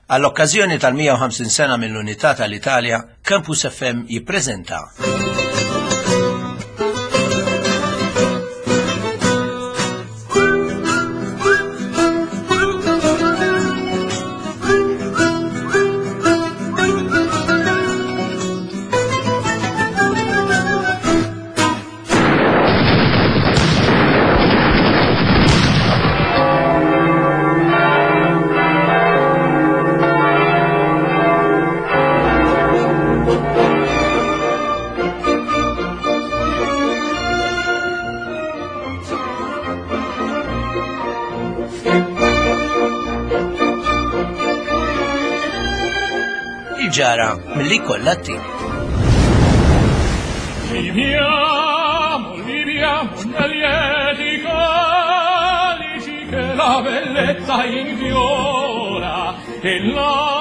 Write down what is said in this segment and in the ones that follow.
Għall-okkażjoni tal-150 sena mill-Unità tal-Italja, Campus FM jippreżenta Il-ġara mill-li kollha tim. Viviamo, viviamo nel lieti calici che la bellezza infiora e la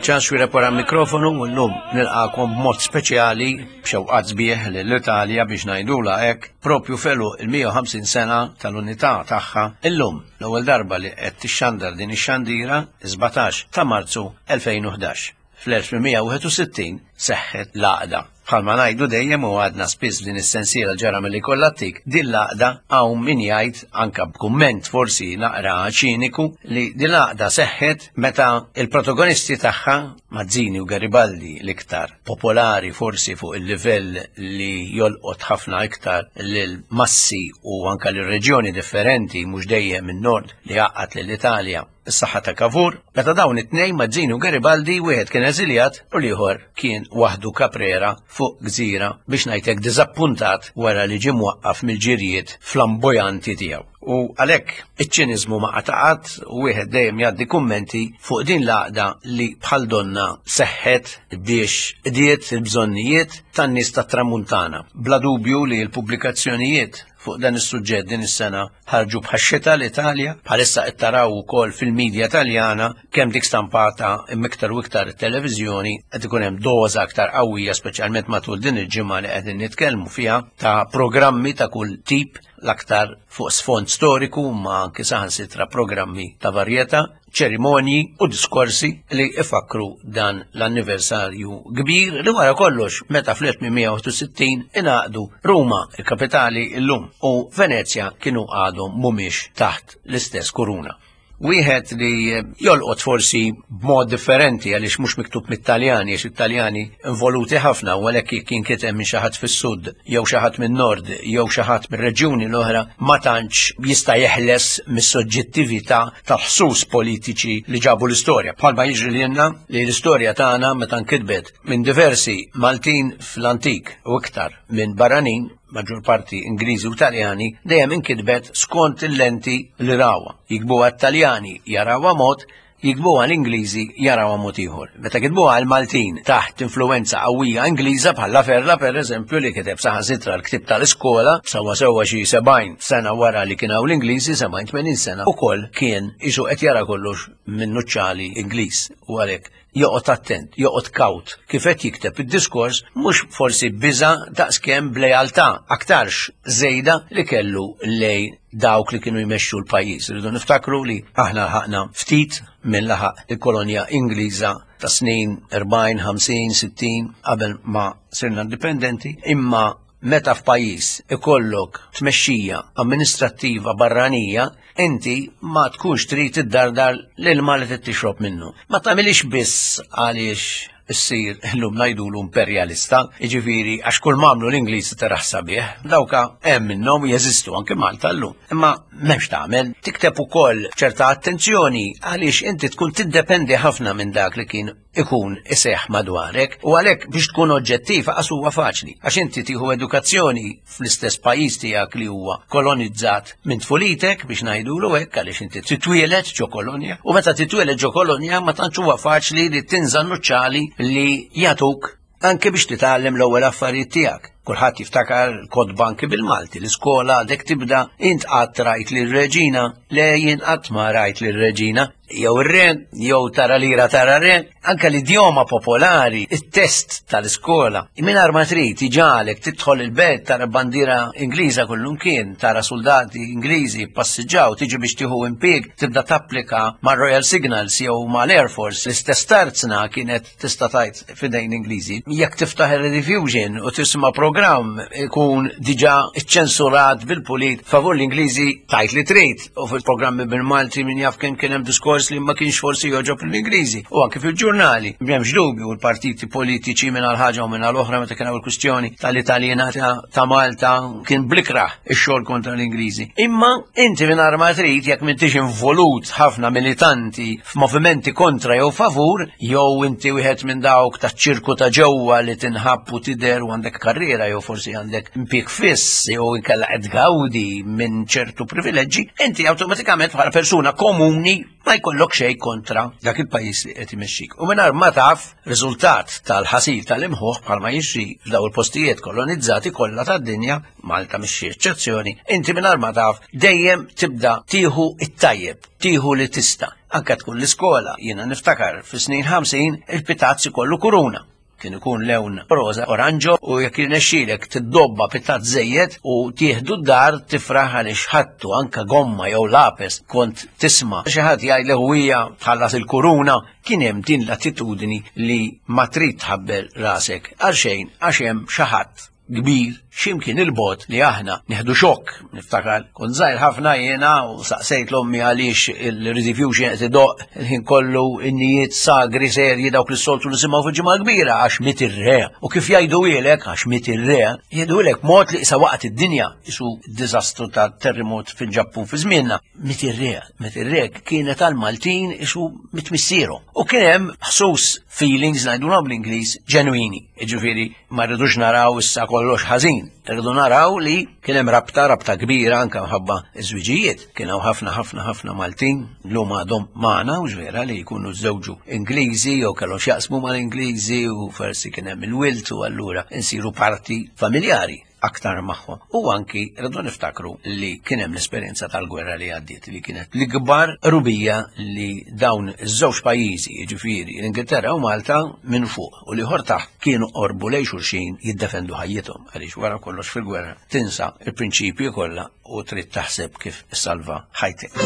ċans wira wara mikrofonu u llum nilqakom b'mod speċjali b'xewqat sbieħ lill-Italja biex ngħidula hekk propju felu il-150 sena tal-unità tagħha illum l-ewwel darba li qed tixxandar din ix-xandira 17 ta' Marzu 2011. Fl-1861 seħħet l-għaqda. Bħalma ngħidu dejjem u għadna spiss din is-sensiela ġara milli kollha tik, din l-għaqda hawn min jgħid anka b'kumment forsi naqra ċiniku li din l-għaqda seħħet meta il-protagonisti tagħha Mazzini u Garibaldi l-iktar popolari forsi fuq il-livell li jolqot ħafna iktar lil massi u anka lil reġjoni differenti mhux dejjem min-nord li għaqqad lill-Italja is-saħħa ta' Cavour, meta dawn it-tnejn Mazzini u Garibaldi wieħed kien eżiljat u l-ieħor kien waħdu Caprera fuq gżira biex ngħidlek diżappuntat wara li ġie mwaqqaf mill-ġirjiet flambojanti tiegħu. U għalhekk iċ-ċiniżmu ma qataqat u wieħed dejjem jgħaddi kummenti fuq din l-għaqda li bħal donna seħħet biex qdiet il-bżonnijiet tan-nies tat-Tramuntana. Bla dubju li l-pubblikazzjonijiet fuq dan is-suġġett din is-sena ħarġu bħax-xita l-Italja, bħalissa qed taraw ukoll fil-medja Taljana kemm dik stampata imma iktar u iktar it-televiżjoni qed ikun hemm doża aktar qawwija speċjalment matul din il-ġimgħa li qegħdin nitkellmu fiha ta' programmi ta' kull tip l-aktar fuq sfond storiku ma anke saħansitra programmi ta' varjetà ċerimonji u diskorsi li ifakru dan l-anniversarju kbir li wara kollox meta fl-1861 ingħaqdu Ruma, il-kapitali illum, u Venezja kienu għadhom mhumiex taħt l-istess kuruna. Wieħed li jolqot forsi b'mod differenti għaliex mhux miktub mit-Taljani, għax it-Taljani involuti ħafna u għalhekk jekk jinkiteb minn xi ħadd fis-sud jew xi ħadd min-nord jew xi ħadd mir-reġjuni l-oħra ma tantx jista' jeħles mis-soġġettività tal-ħsus politiċi li ġabu l-istorja. Bħalma jiġri li jenna li l-istorja tagħna meta nkitbet minn diversi Maltin fl-antik u iktar minn barranin, maġġor parti Ingliżi u Taljani, dejjem inkitbet skont il-lenti li rawha. Jikbuha t-Taljani jarawha mod, Jiktbuha l-Ingliżi jarawha mod ieħor. Meta kitbuha l-Maltin taħt influwenza qawwija Ingliża bħal Laferla pereżempju li kiteb saħansitra l-ktieb tal-iskola sewwa sewwa xi 70 sena wara li kien hawn l-Ingliżi, 70 80 sena, ukoll kien qisu qed jara kollox minn nuċċali Ingliż u għalhekk joqgħod attent, joqgħod kawt kif qed jikteb id-diskors mhux forsi biża' daqskemm b'lealtà aktarx żejda li kellu lejn dawk li kienu jmexxu l-pajjiż. Irridu niftakru li aħna ħaqna ftit minn laħaq il-kolonja Ingliża ta' snin 40, 50, 60 qabel ma sirna indipendenti, imma meta f'pajjiż ikollok tmexxija amministrattiva barranija, inti ma tkunx trid iddardar l-ilma li trid tixrob minnu. Ma tagħmilix biss għaliex issir illum ngħidulu imperjalista, jiġifieri għax kull m'għamlu l-Ingliżi taraħ sabiħ, dawka hemm minnhom jeżistu anke Malta llum. Imma m'hemmx tagħmel, tikteb ukoll ċerta attenzjoni għaliex inti tkun tiddependi ħafna minn dak li kien ikun iseħħ madwarek u għalhekk biex tkun oġġettiv aqas huwa faċli għax inti tieħu edukazzjoni fl-istess pajjiż tiegħek li huwa kolonizzat minn tfulitek biex ngħidulu hekk għaliex inti titwieled ġo kolonja u meta titwieled ġo kolonja ma tantx huwa faċli li tinża' nuċċali li jagħtuk anke biex titgħallem l-ewwel affarijiet tiegħek. Kulħadd jiftakar kotba anki bil-Malti, l-iskola għadek tibda int qatt rajt lir-reġina, le jien qatt ma rajt lir-reġina, jew ir-re, jew tara lira tara re, anke l-idjoma popolari, it-test tal-iskola. Mingħajr ma trid iġagħlek tidħol il-belt tara bandiera Ingliża kullumkien, tara soldati Ingliżi passiġġaw, tiġi biex tieħu impieg, tibda tapplika mar-Royal Signals jew mal-Air Force, l-istess tarzna kienet tista' tgħid f'idejn Ingliżi. Jekk tiftaħ ir-Rediffusion u tisma' programm ikun diġà ċċensurat bil-pulit favur l-Ingliżi tgħid li trid u fil-programmi bil-Malti min jaf kemm kien hemm diskors li ma kienx forsi jogħġob l-Ingliżi u anke fil-ġurnali. M'hemmx dubju l-partiti politiċi minn għal ħaġa u minn għal oħra meta kien hawn il-kwistjoni tal-Italjena ta' Malta kien blikraħ ix-xogħol kontra l-Ingliżi. Imma inti minn ma trid jekk m'intix involut ħafna militanti f'movimenti kontra jew favur, jew inti wieħed minn dawk taċ-ċirku ta' ġewwa li tinħabb u tidher u għandek karriera jew forsi għandek impjieg fiss jew inkella qed tgawdi minn ċertu privileġġi, inti awtomatikament bħala persuna komuni ma jkollok xejn kontra dak il-pajjiż li qed imexxik. U mingħajr ma taf riżultat tal-ħasil tal-imħuħ bħalma jiġri f'daw il-postijiet kolonizzati kollha tad-dinja, Malta mhix xi eċċezzjoni, inti mingħajr ma taf dejjem tibda tieħu it-tajjeb, tieħu li tista'. Anke tkun l-iskola, jiena niftakar fis-snin 50 il-pitazz ikollu kuruna. Kien ikun lewn roża, oranġo u jekk jirnexxielek tiddobba pitazz żejjed u tieħdu d-dar tifraħ għaliex ħadtu anke gomma jew lapes kont tisma' xi ħadd jgħidlek u hija tħallas il-kuruna, kien hemm din l-attitudni li ma trid tħabbel rasek għal xejn għax hemm xi ħadd kbir x'imkien il-bogħod li aħna nieħdu xokk. Niftakar kont żgħir ħafna jiena u saqsejt l-ommi għaliex il-Rediffusion qed idoqq il-ħin kollu innijiet sagri serji dawk li s-soltu nisimgħu fil-Ġimgħa l-Kbira għax miet ir-re. U kif jgħiduhielek għax miet ir-re, jgħiduhielek mod li qisha waqgħet id-dinja, qisu d-diżastru ta' terremot fil-Ġappun fi żmienna. Miet ir-re, miet ir-re kienet għall-Maltin qisu miet missierhom. U kien hemm ħsus feelings ngħidulhom bl-Ingliż ġenwini. Jiġifieri ma rridux naraw issa kollox ħażin, rridu naraw li kien hemm rabta, rabta kbira anke mħabba ż-żwiġijiet. Kien hawn ħafna ħafna ħafna Maltin llum għadhom magħna u vera li jkunu żewġu Ingliżi jew kellhom x'jaqsmu mal-Ingliżi u forsi kien hemm il-wilt u allura nsiru parti familjari aktar magħhom. U anki rridu niftakru li kien hemm l-esperjenza tal-gwerra li għaddiet li kienet l-ikbar rubija li dawn iż-żewġ pajjiżi, jiġifieri l-Ingilterra u Malta minn fuq u l-ieħor taħt kienu qorbu lejn xulxin jiddefendu ħajjithom għaliex wara kollox fil-gwerra tinsa il-prinċipji kollha u trid taħseb kif issalva ħajtek.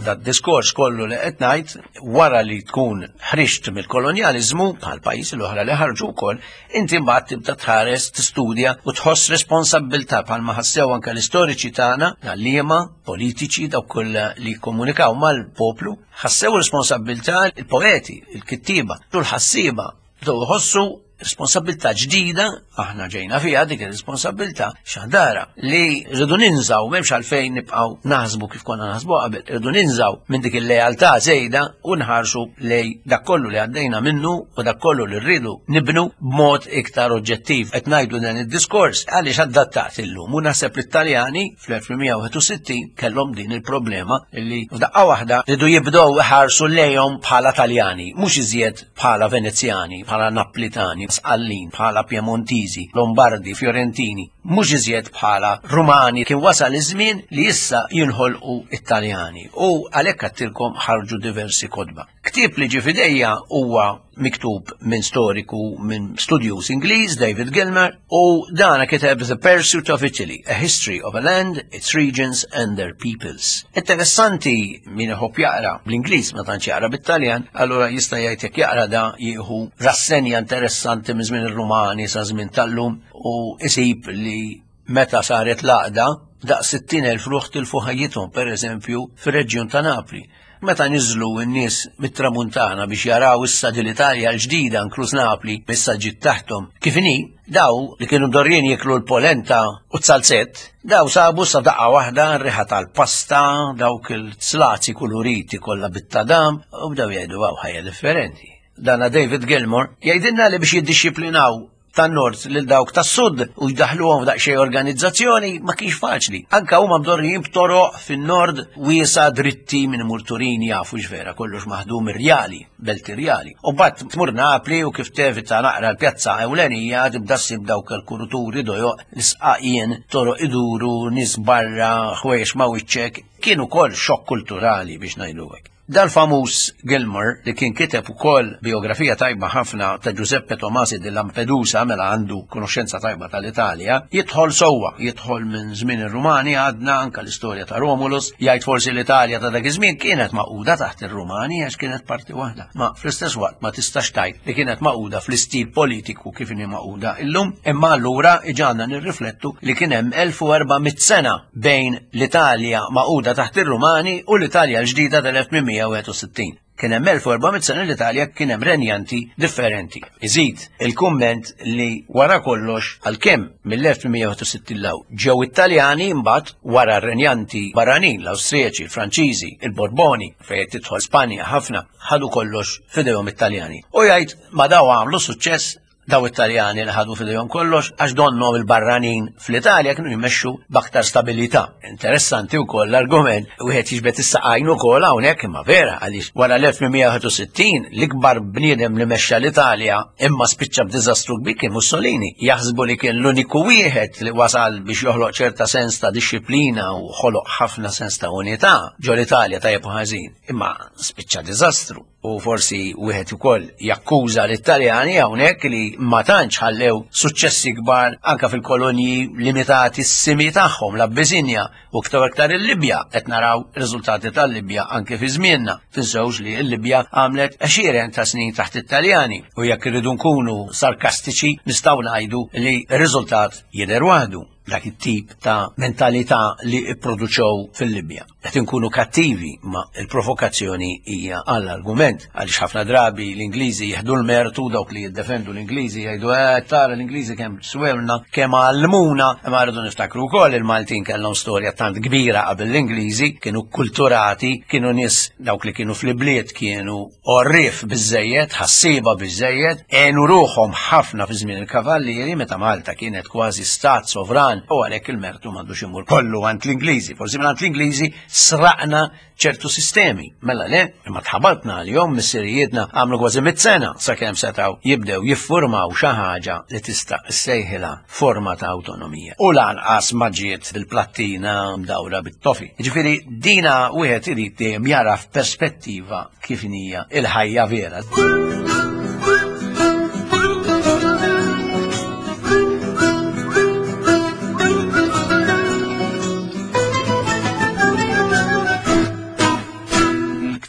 Dat diskors kollu li qed ngħid wara li tkun ħriġt mill-kolonjaliżmu bħal pajjiżi l-oħra li ħarġu wkoll, inti mbagħad tibda tħares, tistudja u tħoss responsabbiltà bħalma ħassew anke l-istoriċi tagħna, l-għalliema, politiċi, dawk kollha li jikkomunikaw mal-poplu, ħassew responsabbiltà il-poeti, il-kittieba, u l-ħassieba bdew iħossu responsabilità ġdida, aħna ġejna fiha dik ir-responsabilità xandara li rridu ninżaw m'hemmx għalfejn nibqgħu naħsbu kif konna naħsbu qabel, rridu ninżaw minn dik il-lealtà żejda u nħarsu lej dak kollu li għaddejna minnu u dak kollu li rridu nibnu b'mod iktar oġġettiv. Qed ngħidu dan id-diskors għaliex adattat illum u naħseb li t-Taljani fl-1861 kellhom din il-problema li f'daqqa waħda rridu jibdew iħarsu lejhom bħala Taljani, mhux iżjed bħala Venezjani, bħala Naplitani, Sqallin, bħala Piemontiżi, Lombardi, Fiorentini, mhux iżjed bħala Rumani, kien wasal iż-żmien li issa jinħolqu it-Taljani u għalhekk għattilkom ħarġu diversi kotba. Ktieb li ġie f'idejja huwa miktub minn storiku minn studjuż Ingliż David Gilmer u dana kiteb The Pursuit of Italy, A History of a Land, Its Regions and Their Peoples. Interessanti min iħobb jaqra bl-Ingliż ma tantx jaqra bit-Taljan, allura jista' jgħid jekk jaqra da jieħu rassenja interessanti minn żmien ir-Rumani sa żmien tal-lum u isib li meta saret l-għaqda daqs 60,000 ruħ tilfu ħajjithom pereżempju fir-reġjun ta' Napli. Meta niżlu n-nies mit-Tramuntana biex jaraw issa din l-Italja l-ġdida inkluż Napli issa ġiet taħthom kif inhi, daw li kienu mdorrijin jieklu l-polenta u t-salzett, daw sabu sa daqqa waħda r-riħa tal-pasta, dawk il-slazi kuluriti kollha bit-tadam u bdew jgħidu hawn ħajja differenti. Dana David Gilmour jgħidilna li biex jiddixxiplinaw. tan-nord lil dawk tas-sud u jdaħluhom f'daqsxejn organizzazzjoni ma kienx faċli. Anka huma mdorrijin b'toroq fin-nord wiesa dritti minn imur Turin jafu x'vera kollox maħdum irjali, belt irjali. U mbagħad tmur Napli u kif tevita naqra l-pjazza ewlenija tibda ssib dawk il-kuruturi dojoq l-isqaqien, toroq iduru, nies barra, ħwejjeġ ma' wiċċek. Kien ukoll xokk kulturali biex ngħidu hekk. Dal-famuż Gilmour li kien kiteb ukoll bijografija tajba ħafna ta' Giuseppe Tomasi di Lampedusa mela għandu konoxxenza tajba tal-Italja, jidħol sewwa, jidħol minn żmien ir-Rumani għadna anka l-istorja ta' Romulus, jgħid forsi l-Italja ta' dak iż-żmien kienet magħquda taħt ir-Rumani għax kienet parti waħda. Ma fl-istess waqt ma tistax tgħid li kienet magħquda fl-istil politiku kif inhi magħquda illum, imma allura iġagħalna nirriflettu li kien hemm 1400 sena bejn l-Italja magħquda taħt ir-Rumani u l-Italja l-ġdida tal-1861. Kien hemm 1400 sena l-Italja kien hemm renjanti differenti. Iżid il-kumment li wara kollox għalkemm mill-1861 law ġew Italjani imbagħad wara r-renjanti barranin, l-Awstrijaċi, il-Franċiżi, il-Borboni, fejn tidħol Spanja ħafna, ħadu kollox f'idejhom it-Taljani. U jgħid ma daw għamlu suċċess daw it-Taljani li ħadu f'idejhom kollox għax donnom il-barranin fl-Italja kienu jmexxu b'aktar stabilità. Interessanti wkoll l-argument wieħed jiġbed is-saqajn ukoll hawnhekk imma vera għaliex wara l-1861 l-ikbar bniedem li mexxa l-Italja imma spiċċa b'diżastru kbir kien Mussolini. Jaħsbu li kien l-uniku wieħed li wasal biex joħloq ċerta sens ta' dixxiplina u ħoloq ħafna sens ta' unità ġol Italja tajjeb u ħażin. Imma spiċċa diżastru. U forsi wieħed ukoll jakkuża lit-Taljani hawnhekk li ma tantx ħallew suċċessi kbar anka fil-kolonji limitati s-simi tagħhom l-Abbisinja u iktar iktar il-Libja qed naraw riżultati tal-Libja anke fi żmienna. Tinsewx li l-Libja għamlet għexieren ta' snin taħt it-Taljani u jekk irridu nkunu sarkastiċi nistgħu ngħidu li r-riżultat jidher waħdu. dak it-tip ta' mentalità li pproduċew fil-Libja. Qed inkunu kattivi ma il-provokazzjoni hija għall-argument għaliex ħafna drabi l-Ingliżi jieħdu l-mertu dawk li jiddefendu l-Ingliżi jgħidu eh tara l-Ingliżi kemm swewna, kemm għallmuna, imma rridu niftakru wkoll il-Maltin kellhom storja tant kbira qabel l-Ingliżi, kienu kulturati, kienu nies dawk li kienu fl-ibliet kienu Għorrief biżżejjed, ħassieba biżżejjed, għenu ruħhom ħafna fi żmien il-Kavallieri meta Malta kienet kważi stat sovran u għalhekk il-mertu m'għandux imur kollu għand l-Ingliżi. Forsi mingħand l-Ingliżi sraqna ċertu sistemi. Mela le, imma tħabatna għalihom missirijietna għamlu kważi mit sena sakemm setgħu jibdew jiffurmaw xi ħaġa li tista' ssejħilha forma ta' awtonomija. U lanqas ma ġiet bil-plattina mdawra bit-tofi. Jiġifieri dina wieħed irid dejjem jara f'perspettiva kif hija il-ħajja vera.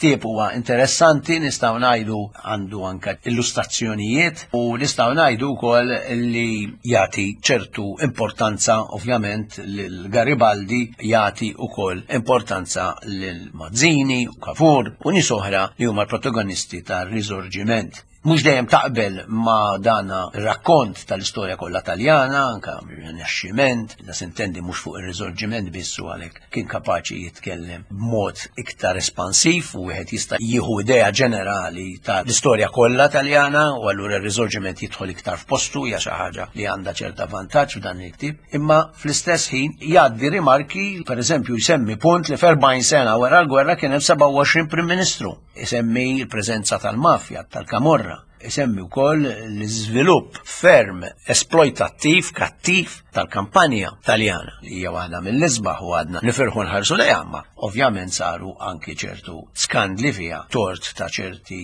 ktieb huwa interessanti, nistgħu ngħidu għandu anke illustrazzjonijiet u nistgħu ngħidu wkoll li jagħti ċertu importanza ovvjament lil Garibaldi jagħti wkoll importanza lil Mazzini u Cavour u nies oħra li huma l-protagonisti tar-Risorgiment. Mhux dejjem taqbel ma' dana rakkont tal-istorja kollha Taljana, anka Rinaxximent, da sintendi mhux fuq ir-Risorgiment biss u għalhekk kien kapaċi jitkellem b'mod iktar espansiv u wieħed jista' jieħu idea ġenerali tal-istorja kollha Taljana u allura r-Risorgiment jidħol iktar f'postu hija xi ħaġa li għandha ċerta vantaġġ f'dan il-ktieb. Imma fl-istess ħin jgħaddi rimarki, per eżempju jsemmi punt li f'40 sena wara l-gwerra kien hemm 27 Prim Ministru. Isemmi l-preżenza tal-mafja, tal-kamorra. Isemmi wkoll l-iżvilupp ferm esploitattiv, kattiv tal-kampanja Taljana li hija waħda mill-isbaħ u għadna nifirħu nħarsu lejha, imma ovvjament saru anki ċertu skandli fiha tort ta' ċerti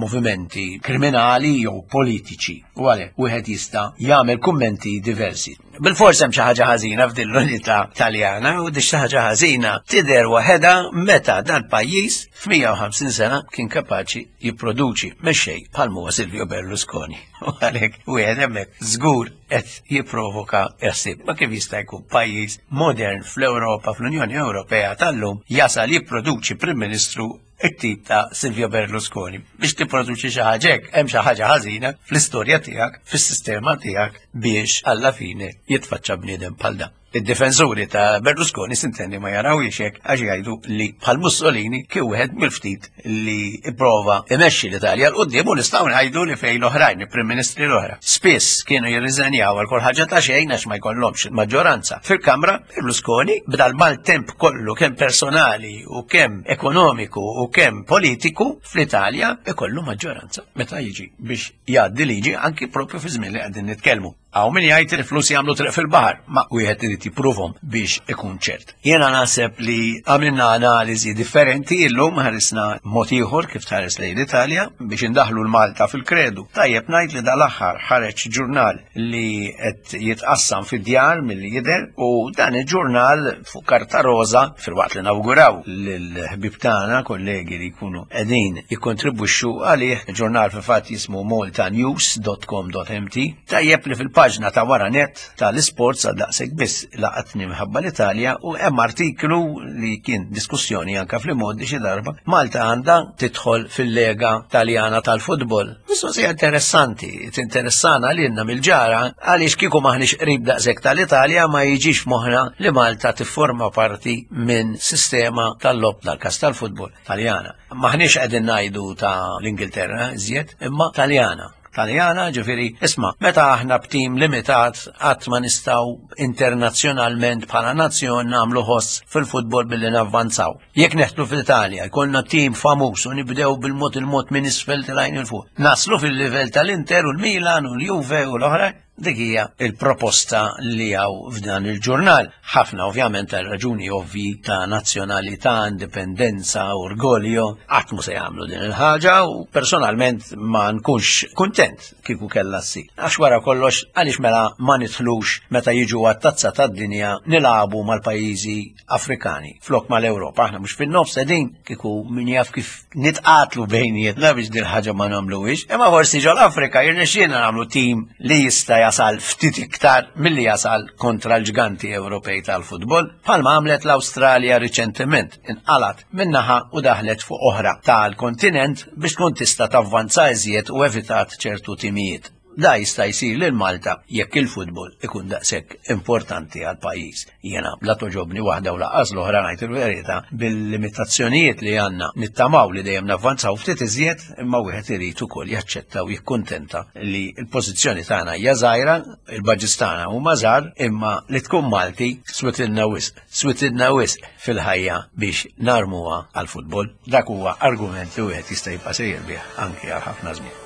movimenti kriminali jew politiċi. U għalhekk wieħed jista' jagħmel kummenti diversi. Bil-fors hemm xi ħaġa ħażina f'din l-unità Taljana u di xi ħaġa ħażina tidher waħedha meta dal-pajjiż f'150 sena kien kapaċi jipproduċi mexxej bħal huwa Silvio Berlusconi. U għalhekk wieħed hemmhekk żgur qed jipprovoka ħsieb. Ma kif jista' jkun pajjiż modern fl-Ewropa, fl-Unjoni Ewropea tal-lum jasal jipproduċi Prim Ministru it-tip ta' Silvio Berlusconi. Biex tipproduċi xi ħaġa hekk, hemm xi ħaġa ħażina fl-istorja tiegħek, fis-sistema tiegħek biex alla fine jitfaċċa bniedem bħal dan. Id-difensuri ta' Berlusconi sintendi ma jarawhiex hekk għax jgħidu li bħal Mussolini kien wieħed mill-ftit li ipprova imexxi l-Italja 'l quddiem u nistgħu ngħidu li fejn l-oħrajn, il-Prim Ministri l-oħra. Spiss kienu jirriżenjaw għal kull ħaġa ta' xejn għax ma jkollhomx maġġoranza. Fil-Kamra, Berlusconi b'dal maltemp kollu kemm personali u kemm ekonomiku u kemm politiku fl-Italja ikollu maġġoranza meta jiġi biex jgħaddi liġi anki propju fi żmien li qegħdin nitkellmu. Hawn min jgħid li flus jagħmlu triq fil-baħar, ma wieħed irid jippruvhom biex ikun ċert. Jiena naħseb li għamilna analiżi differenti illum ħarisna mod ieħor kif tħares lejn l-Italja biex indaħlu l-Malta fil-kredu. Tajjeb ngħid li dal-aħħar ħareġ ġurnal li qed jitqassam fid-djar milli jidher u dan il-ġurnal fuq karta roża filwaqt li nawguraw lill-ħbieb tagħna kollegi li jkunu qegħdin jikkontribwixxu għalih, ġurnal fil-fatt jismu maltanews.com.mt. Tajjeb li fil-paġna ta' wara net tal-isports għal daqshekk biss laqatni minħabba l-Italja u hemm artiklu li kien diskussjoni anka fl-imgħoddi xi darba Malta għandha tidħol fil-Lega Taljana tal-futbol. Mistoqsija interessanti, tinteressana lilna mill-ġara għaliex kieku maħniex qrib daqshekk tal-Italja ma jiġix f'moħħna li Malta tifforma parti minn sistema tal-logħob tal-każ tal-futbol Taljana. Maħniex qegħdin ngħidu ta' l-Ingilterra iżjed, imma Taljana. Taljana, ġifieri, isma' meta aħna b'tim limitat qatt ma nistgħu internazzjonalment bħala nazzjon nagħmlu ħoss fil-futbol billi navvanzaw. Jekk neħtlu fl-Italja, jkollna tim famuż u nibdew bil-mod il-mod minn isfel tilgħin il fuq. Naslu fil-livell tal-Inter u l-Milan u l-Juve u l-oħra, Dik hija il-proposta li hawn f'dan il-ġurnal. Ħafna ovvjament għal raġuni ovvji ta' nazzjonalità, indipendenza, orgoljo, qatt mhu se jagħmlu din il-ħaġa u personalment ma nkunx kuntent kieku kellha ssir. Għax wara kollox għaliex mela ma nidħlux meta jiġu għat-tazza tad-dinja nilagħbu mal-pajjiżi Afrikani flok mal-Ewropa. Aħna mhux fin-nofs qegħdin kieku min jaf kif nitqatlu bejnietna biex din ħaġa ma nagħmluhiex. Imma forsi ġol Afrika jirnexxielna nagħmlu tim li jista' jasal ftit iktar milli jasal kontra l-ġganti Ewropej tal-futbol, bħalma għamlet l-Awstralja riċentement inqalat min-naħa u daħlet fuq oħra tal-kontinent biex tkun tista' tavvanza iżjed u evitat ċertu timijiet. Da jista' jsir lil Malta jekk il-futbol ikun daqshekk importanti għal pajjiż. Jiena la toġobni waħda u laqqas l-oħra ngħid il-verità bil-limitazzjonijiet li għandna nittamaw li dejjem navvanzaw ftit iżjed imma wieħed irid ukoll jaċċetta u jikkuntenta li l-pożizzjoni tagħna hija żgħira, il-budgets tagħna huma żgħar, imma li tkun Malti switilna wisq, switilna wisq fil-ħajja biex narmuha għall-futbol. Dak huwa argument li wieħed jista' jibqa' sejjer bih anki għal ħafna żmien.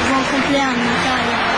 Buon compleanno Italia.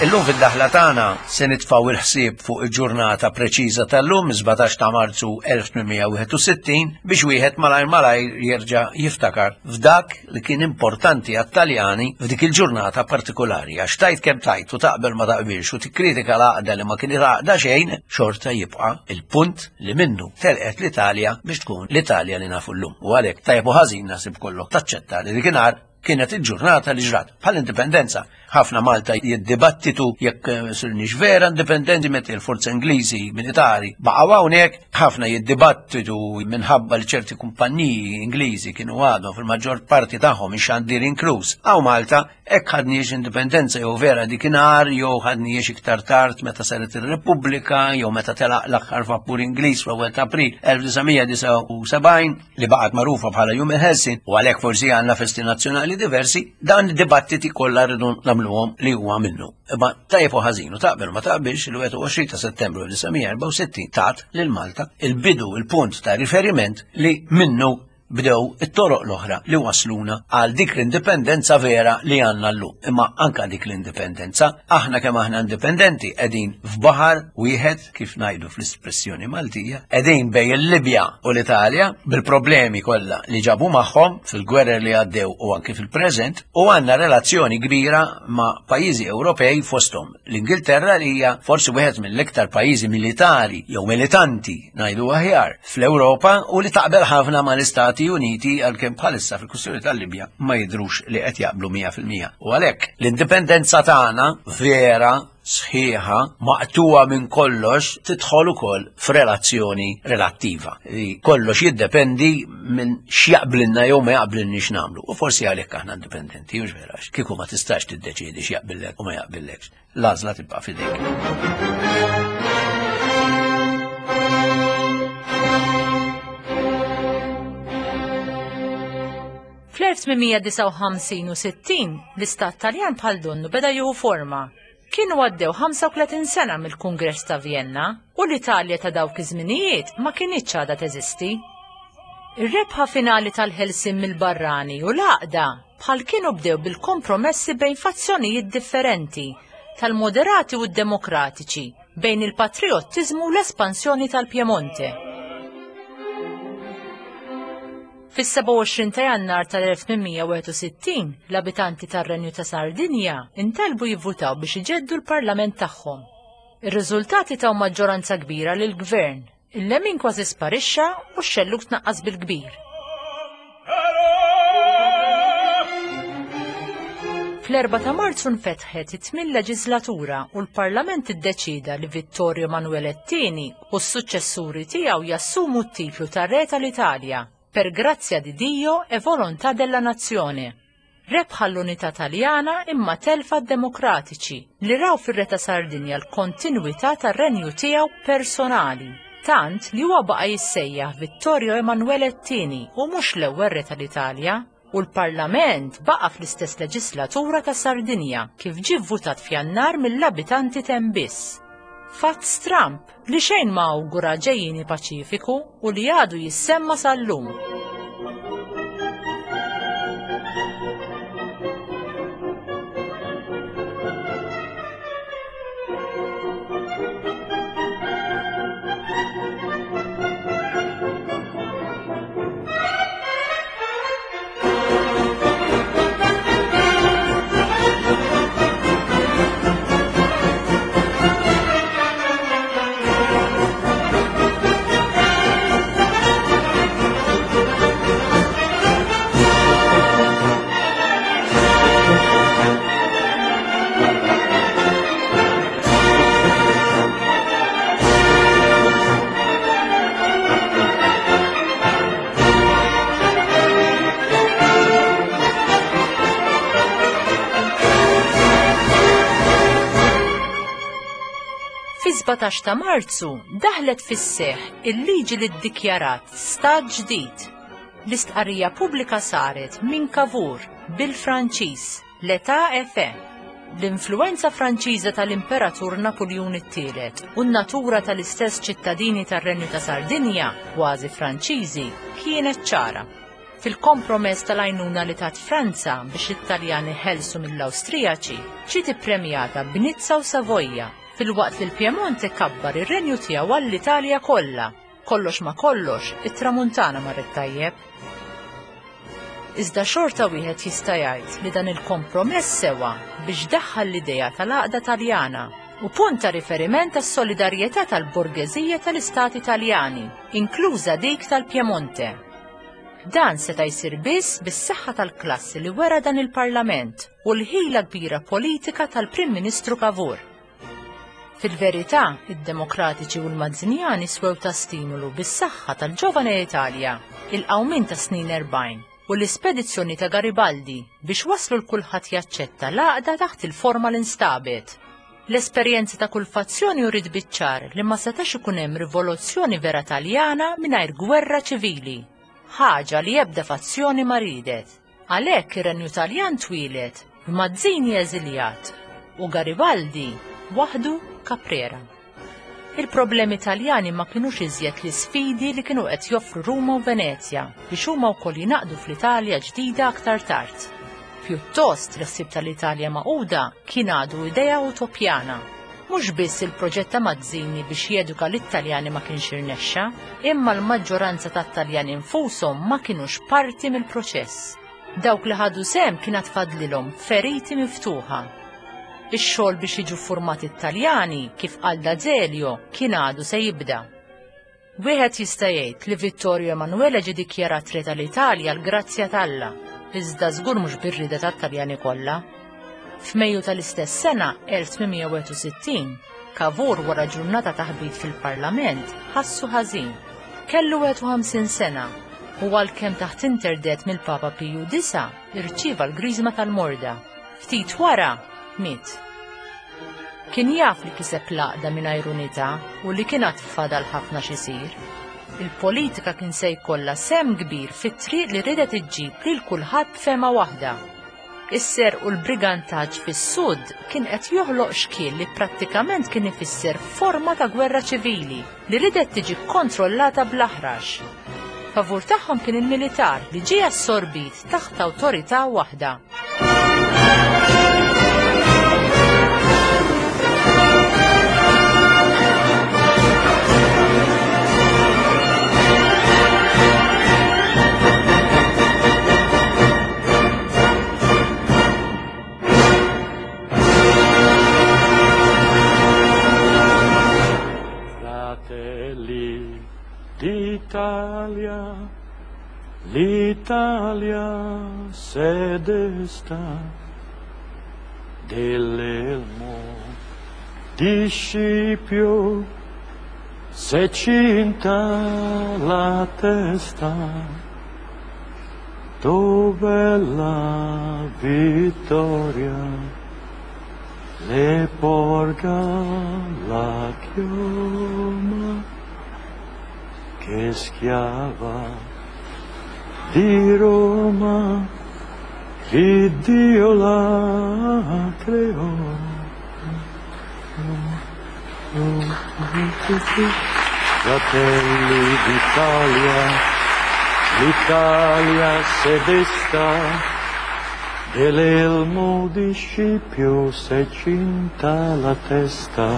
Illum fid-daħla tagħna se nitfgħu il-ħsieb fuq il-ġurnata preċiża tal-lum 17 ta' Marzu 1861 biex wieħed malajr malajr jerġa' jiftakar f'dak li kien importanti għat-Taljani f'dik il-ġurnata partikolari għax tajt kemm tajt u taqbel ma taqbilx u tikkritika l-għaqda li ma kien għaqda xejn xorta jibqa' il-punt li minnu telqet l-Italja biex tkun l-Italja li nafu llum. U għalhekk tajjeb u ħażin naħseb kollok taċċetta li dikinhar kienet il-ġurnata li ġrat bħall-indipendenza. Ħafna Malta jiddibattitu jekk eh, sirniex vera indipendenti meta il-forza Ingliżi militari baqgħu hawnhekk, ħafna jiddibattitu minħabba li ċerti kumpanniji Ingliżi kienu għadhom fil-maġġor parti tagħhom ix-xandir inkluż. Hawn Malta hekk ħadniex indipendenza jew vera dikinhar jew ħadniex iktar tard meta saret ir-Repubblika jew meta telaq l-aħħar vapur Ingliż fl-ewwel ta' April 1979 li baqgħet magħrufa bħala Jum il-Ħelsien u għalhekk forsi għandna festi nazzjonali diversi, dan id-dibattiti kollha rridu nagħmluhom li huwa minnu. Imma tajjeb u ħażin u taqbel ma taqbilx il-21 ta' Settembru 1964 tat lil Malta il-bidu il-punt ta' riferiment li minnu bdew it-toroq l-oħra li wasluna għal dik l-indipendenza vera li għandna llum. Imma anka dik l-indipendenza, aħna kemm aħna indipendenti qegħdin f'baħar wieħed kif ngħidu fl-espressjoni Maltija, qegħdin bejn il-Libja u l-Italja bil-problemi kollha li ġabu magħhom fil-gwerer li għaddew u anki fil-preżent u għandna relazzjoni kbira ma' pajjiżi Ewropej fosthom l-Ingilterra li hija forsi wieħed mill-iktar pajjiżi militari jew militanti ngħidu aħjar fl-Ewropa u li taqbel ħafna mal-Istati Uniti għalkemm bħalissa fil-kwistjoni tal-Libja ma jidhrux li qed jaqblu 100%. U għalhekk l-indipendenza tagħna vera sħiħa maqtuwa minn kollox tidħol ukoll f'relazzjoni relattiva. Li kollox jiddependi minn x'jaqblilna jew ma jaqblilniex nagħmlu. U forsi għalhekk aħna indipendenti, mhux vera, kieku ma tistax tiddeċiedi x'jaqbillek u ma jaqbillekx. L-għażla tibqa' f'idejk. Fl-1859 u 60 l-istat Taljan bħal donnu beda jieħu forma. Kienu għaddew 35 sena mill-Kungress ta' Vienna u l-Italja ta' dawk iż-żminijiet ma kinitx għadha teżisti. Ir-rebħa finali tal-ħelsien mill-barrani u l-għaqda bħal kienu bdew bil-kompromessi bejn fazzjonijiet differenti tal-moderati u d-demokratiċi bejn il-patrijottiżmu u l-espansjoni tal-Piemonte. Fis-27 ta' Jannar tal-1861, l-abitanti tar-Renju ta' Sardinja intalbu jivvutaw biex iġeddu l-parlament tagħhom. Ir-riżultati taw maġġoranza kbira lill-gvern. Il-lemin kważi sparixxa u x-xellug tnaqqas bil-kbir. Fl-4 ta' Marzu nfetħet it-tmien leġislatura u l-Parlament iddeċieda li Vittorio Emanuele II u s-suċċessuri tiegħu jassumu t-titlu ta' Re tal-Italja per grazia di Dio e volontà della nazione. Rebħa l-unità Taljana imma telfa d-Demokratiċi li raw fir-Re ta' Sardinja l-kontinwità tar-renju tiegħu personali, tant li huwa baqa' jissejjaħ Vittorio Emanuele t-Tieni u mhux l-ewwel Re tal-Italja, u l-Parlament baqa' fl-istess leġislatura ta' Sardinja kif ġie vvutat f'Jannar mill-abitanti t'hemm biss. Fatt stramb li xejn ma awgura ġejjieni paċifiku u li għadu jissemma sal-lum. Fi-17 ta' Marzu daħlet fis-seħħ il-liġi li ddikjarat stat ġdid. L-istqarrija pubblika saret minn Cavour bil-Franċiż. L-età efe. L-influwenza Franċiża tal-Imperatur Napuljun it-Tielet u n-natura tal-istess ċittadini tar-Renju ta' Sardinja, kważi Franċiżi, kienet ċara. Fil-kompromess tal-għajnuna li tat Franza biex it-Taljani ħelsu mill-Awstrijaċi, ġiet ippremjata b'Nizza u Savoja, filwaqt li l-Pjemonte kabbar ir-renju tiegħu għall-Italja kollha. Kollox ma' kollox, it-Tramuntana marret tajjeb. Iżda xorta wieħed jista' jgħid li dan il-kompromess sewa biex daħħal l-idea tal-għaqda Taljana u punt ta' riferiment għas-solidarjetà tal-borgeżija tal-istati Taljani, inkluża dik tal-Piemonte. Dan seta' jsir biss bis-saħħa tal-klassi li wera dan il-Parlament u l-ħila kbira politika tal-Prim Ministru Cavour. Fil-verità, id-Demokratiċi u l-Mazzinjani swew ta' stimulu bis-saħħa tal-Giovane Italia, il-qawmien tas-snin 40 u l-ispedizzjoni ta' Garibaldi biex waslu 'l kulħadd jaċċetta l-għaqda taħt il-forma li nstabet. L-esperjenza ta' kull fazzjoni uriet biċ-ċar li ma setax ikun hemm rivoluzzjoni vera Taljana mingħajr gwerra ċivili, ħaġa li ebda fazzjoni ma riedet. Għalhekk ir-Renju Taljan twieled b'Mazzini eżiljat u Garibaldi waħdu Caprera. Il-problemi Taljani ma kinux iżjed l-isfidi li kienu qed joffru Ruma u Venezja biex huma wkoll jingħaqdu fl-Italja ġdida aktar tard. Pjuttost, l-ħsieb tal-Italja magħquda kien għadu idea utopjana. Mhux biss il-proġett ta' Mazzini biex jeduka lit-Taljani ma kienx irnexxa, imma l-maġġoranza tat-Taljani nfushom ma kinux parti mill-proċess. Dawk li ħadu sehem kien għad fadlilhom feriti miftuħa. Ix-xogħol biex jiġu ffurmati t-Taljani, kif qal D'Azeglio, kien għadu se jibda. Wieħed jista' jgħid li Vittorio Emanuele ġie dikjarat Re tal-Italja għall-grazzja t'Alla, iżda żgur mhux bir-rieda tat-Taljani kollha. F'Mejju tal-istess sena 1861, Cavour wara ġurnata ta' ħbit fil-Parlament ħassu ħażin. Kellu 51 sena u għalkemm taħt interdet mill-Papa Piju IX irċieva l-griżma tal-morda. Ftit wara miet. Kien jaf li kiseb l-għaqda mingħajr unità u li kien għad fadal ħafna x'isir. Il-politika kien se jkollha sehem kbir fit-triq li riedet iġġib lil kulħadd b'fehma waħda. Is-serq u l-brigantaġġ fis-Sud kien qed joħloq xkiel li prattikament kien ifisser forma ta' gwerra ċivili li riedet tiġi kkontrollata bl-aħrax. Favur tagħhom kien il-militar li ġie assorbit taħt awtorità waħda. Fratelli d'Italia, l'Italia se desta dell'elmo di Scipio se cinta la testa. Dov'è la vittoria? Le porga la chioma che schiava di Roma che Dio la creò. Fratelli d'Italia, l'Italia se desta, dell'elmo di Scipio s'è cinta la testa.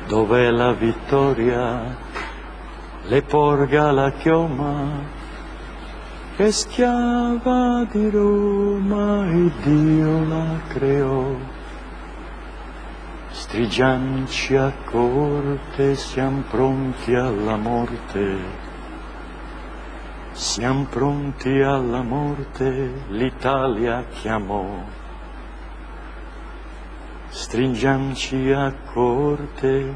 Dov'è la vittoria? Le porga la chioma, che schiava di Roma e Dio la creò. Strigianci a corte, siam pronti alla morte. Siam pronti alla morte, l'Italia chiamò. Stringiamci a corte,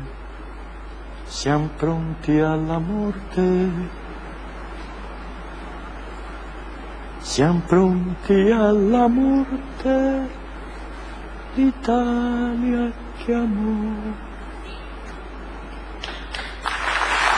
siam pronti alla morte. Siam pronti alla morte, l'Italia chiamò.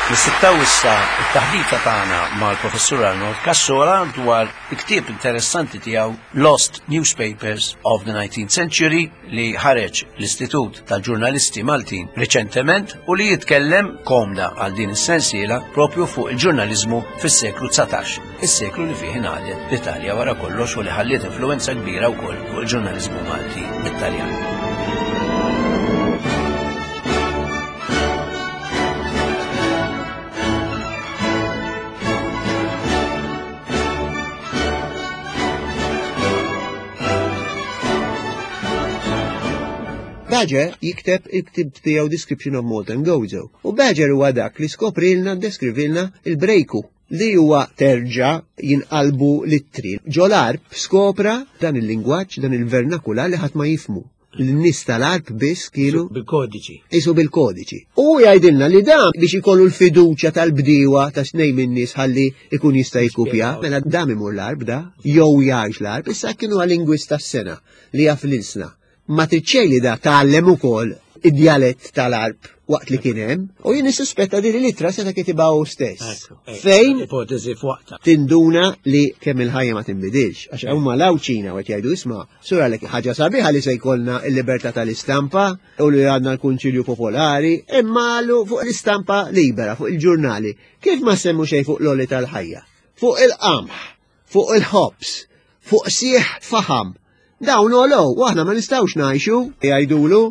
Nissittaw issa it-taħdita tagħna mal-Professur Arnold Cassola dwar il-ktieb interessanti tiegħu Lost Newspapers of the 19th Century li ħareġ l-Istitut tal-Ġurnalisti Maltin riċentement u li jitkellem komda għal din is-sensiela propju fuq il-ġurnaliżmu fis-seklu 19, is-seklu li fih ingħaqdet l-Italja wara kollox u li ħalliet influwenza kbira wkoll fuq il-ġurnaliżmu Malti Italjan. Badger jikteb il-ktib tiegħu Description of Malta and Gozo. U Badger huwa dak li skoprilna, deskrivilna il-brejku li huwa terġa' jinqalbu l-ittri. Ġol-Għarb skopra dan il-lingwaġġ, dan il-vernakular li ħadd ma jifhmu. L-nies tal-Għarb biss kienu Bil-kodiċi. Isu bil-kodiċi. U jgħidilna li dan biex ikollu l-fiduċja tal-bdiewa ta' xnej minn nies ħalli ikun jista' jikkupja, mela dam imur l-Għarb da, jew jgħix l-Għarb, issa kienu lingwist tas-sena li jaf l-ilsna. Ma trid xejn li da tgħallem ukoll id-djalett tal-Għarb waqt li kien hemm, u jien nissuspetta din l-ittra seta' kitibha hu stess. Fejn ipotezi f'waqtha. Tinduna li kemm il-ħajja ma tinbidilx, għax huma l-Għawdxin qed jgħidu isma' sura lek ħaġa sabiħa li se jkollna l-libertà tal-istampa u li għandna l-Kunċilju Popolari, imma fuq l-istampa libera, fuq il-ġurnali. Kif ma semmu xejn fuq l-oli tal-ħajja? Fuq il-qamħ, fuq il-ħobż, fuq sieħ faħam. Dawn għolow, u aħna ma nistgħux ngħixu, jgħidulu.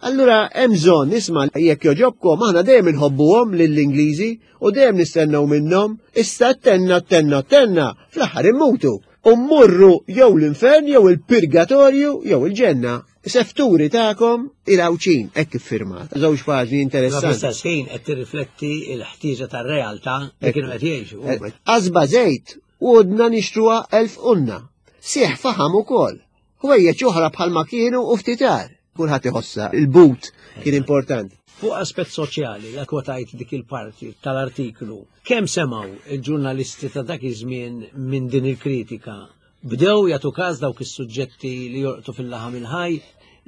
Allura hemm bżonn nisma' jekk joġobkom aħna dejjem inħobbuhom lill-Ingliżi u dejjem nistennew minnhom, issa tenna tenna tenna fl-aħħar immutu. U mmorru jew l-infern jew il-purgatorju jew il-ġenna. Sefturi tagħkom il-Għawdxin, hekk iffirmat. Żewġ paġni interessanti. Fl-istess ħin qed tirrifletti l-ħtieġa tar-realtà li kienu qed jgħixu. Qasba żejt u għodna nixtruha 1000 unna. Sieħ faħam ukoll. Ħwejjeġ oħra bħalma kienu u ftitar. Kulħadd iħossha, il-but kien importanti. Fuq aspett soċjali, la kwotajt dik il-parti tal-artiklu, kemm semgħu il-ġurnalisti ta' dak iż-żmien minn din il-kritika? Bdew jagħtu każ dawk is-suġġetti li jolqtu fil-laħam il-ħaj?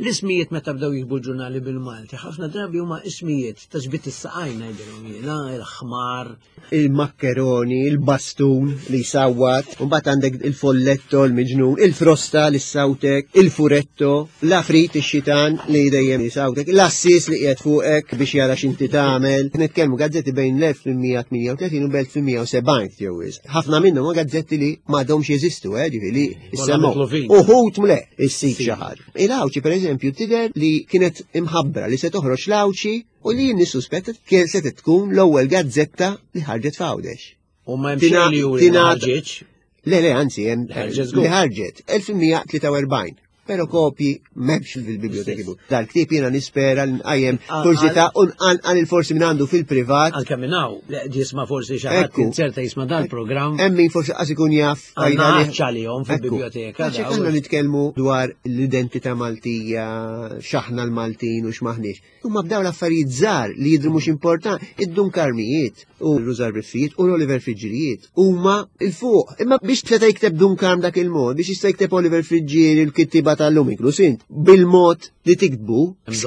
L-ismijiet meta bdew jiktbu l-ġurnali bil-Malti, ħafna drabi huma ismijiet ta' ġbid is-saqajn ngħidilhom jiena, il-ħmar, il-makkeroni, il-bastun li jsawwat, u mbagħad għandek il-folletto, l-miġnun, il-frosta li ssawtek, il-furetto, l-afrit ix-xitan li dejjem jisawtek, l-assis li qiegħed fuqek biex jara x'inti tagħmel. Nitkellmu gazzetti bejn l-1838 u l-1870 jew wisq. Ħafna minnhom huma gazzetti li m'għadhomx jeżistu, eh, ġifieri issemmu. Uħud mle issib xi ħaġa. Il-Għawdxi pereżempju tidher li kienet imħabbra li se toħroġ l-Għawdxi u li jien nissuspetta kien se tkun l-ewwel gazzetta li ħarġet f'Għawdex. U ma hemm xejn li juri li ħarġitx. Le, le, anzi, hemm li ħarġet 1843. Pero kopji m'hemmx fil-biblioteki. Dal-ktieb jiena nispera li nqajjem kurżità u nqanqal il-forsi minn għandu fil-privat. Anke minn hawn, li qed jisma' forsi xi ħadd inzerta jisma' dal-programm. Hemm min forsi qas ikun jaf. Għandna għalihom fil-biblioteka. Għax aħna nitkellmu dwar l-identità Maltija, x'aħna l-Maltin u x'maħniex. Huma bdew l-affarijiet żgħar li jidhru mhux importanti, id-Dun Karmijiet u r-Rużar Biffijiet u l-Oliver Friġġierijiet huma l fuq. Imma biex seta' jikteb Dun Karm dak il-mod, biex jista' jikteb Oliver Friġġieri l-kittieba tal-lum inkluż int, bil-mod li tiktbu,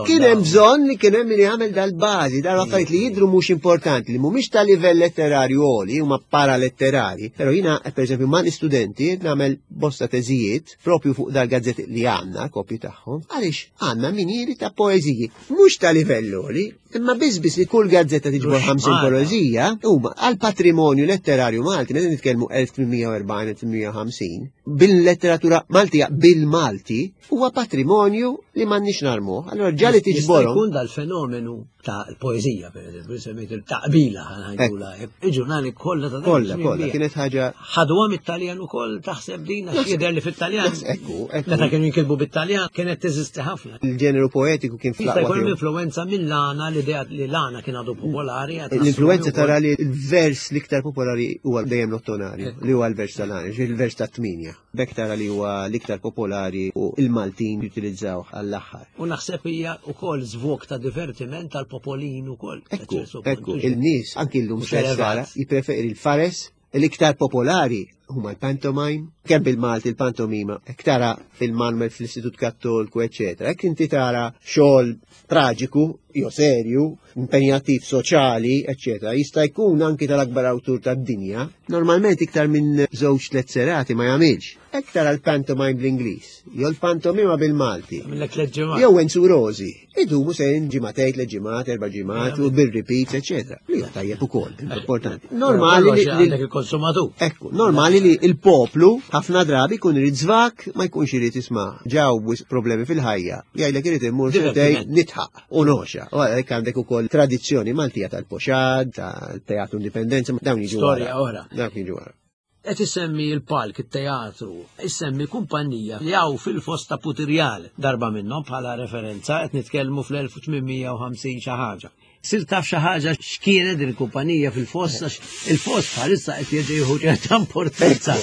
kien hemm bżonn li kien hemm min jagħmel dal-bażi, dal-affarijiet li jidhru mhux importanti, li mhumiex ta' livell letterarju għoli, huma paraletterari. Però jiena, pereżempju, mal-istudenti nagħmel bosta teżijiet propju fuq dal-gazzetti li għandna, kopji tagħhom, għaliex għandna minieri ta' poeżiji, mhux ta' livell għoli, imma biss biss li kull gazzetta tiġbor 50 poeżija, huma għal patrimonju letterarju Malti, meta nitkellmu 1840-1850, bil-letteratura Maltija bil-Malti, huwa patrimonju li m'għandniex narmuh. Allora ġali tiġborhom. Jkun dal-fenomenu ta' poezija, per eżempju, semmejt il-taqbila, ħanajdula, il-ġurnali kollha ta' Kollha, kollha, kienet ħaġa. Ħaduha mit-Taljan ukoll taħseb din għax jidher li fit-Taljan. Ekku, ekku. Meta kienu jinkitbu bit-Taljan kienet teżisti ħafna. Il-ġeneru poetiku kien fl-aqwa. Jista' jkun influenza mill-għana l-idea li l-għana kien għadu popolari. L-influenza tara li l-vers l-iktar popolari huwa dejjem l-ottonarju, li huwa l-vers tal-għana, il-vers tat-tminja. B'hekk tara li huwa l-iktar popolari u l-Maltin jutilizzawh għall-aħħar. U naħseb hija wkoll żvog ta' divertiment għall-popolin ukoll. Ekku, ekku, il-nies anki llum stess tara jippreferi l-fares l-iktar popolari huma l-pantomime, kemm bil-Malti l-pantomima, hekk tara fil-Manuel fl-Istitut Kattolku, eċetera. Hekk inti tara xogħol traġiku, jew serju, impenjattiv soċjali, eċetera, jista' jkun anki tal-akbar awtur tad-dinja, normalment iktar minn żewġ tliet serati ma jagħmilx. Hekk tara l-pantomime bl-Ingliż, jew l-pantomima bil-Malti. Jew Enzu Rosi, idumu se ġimagħtejn, tliet ġimgħat, erba' ġimgħat u bil-repeats, eċetera. Li huwa tajjeb ukoll, importanti. Normali li għandek il-konsumatur. Ekku, normali li il-poplu ħafna drabi jkun irid żvak ma jkunx irid jisma' ġaw problemi fil-ħajja. Jgħidlek irid immur sentej nitħaq u noxa. U għalhekk għandek ukoll tradizzjoni Maltija tal-poxad, tal-teatru Indipendenza, dawn jiġu. Storja oħra. Dawn jiġu wara. Qed issemmi l-palk, it-teatru, issemmi kumpanija li hawn fil-foss ta' Putirjal darba minnhom bħala referenza qed nitkellmu fl-1850 xi ħaġa. Sir taf xi ħaġa x'kienet din il-kumpanija fil-foss għax il-foss bħalissa qed jerġa' jieħu ċerta importanza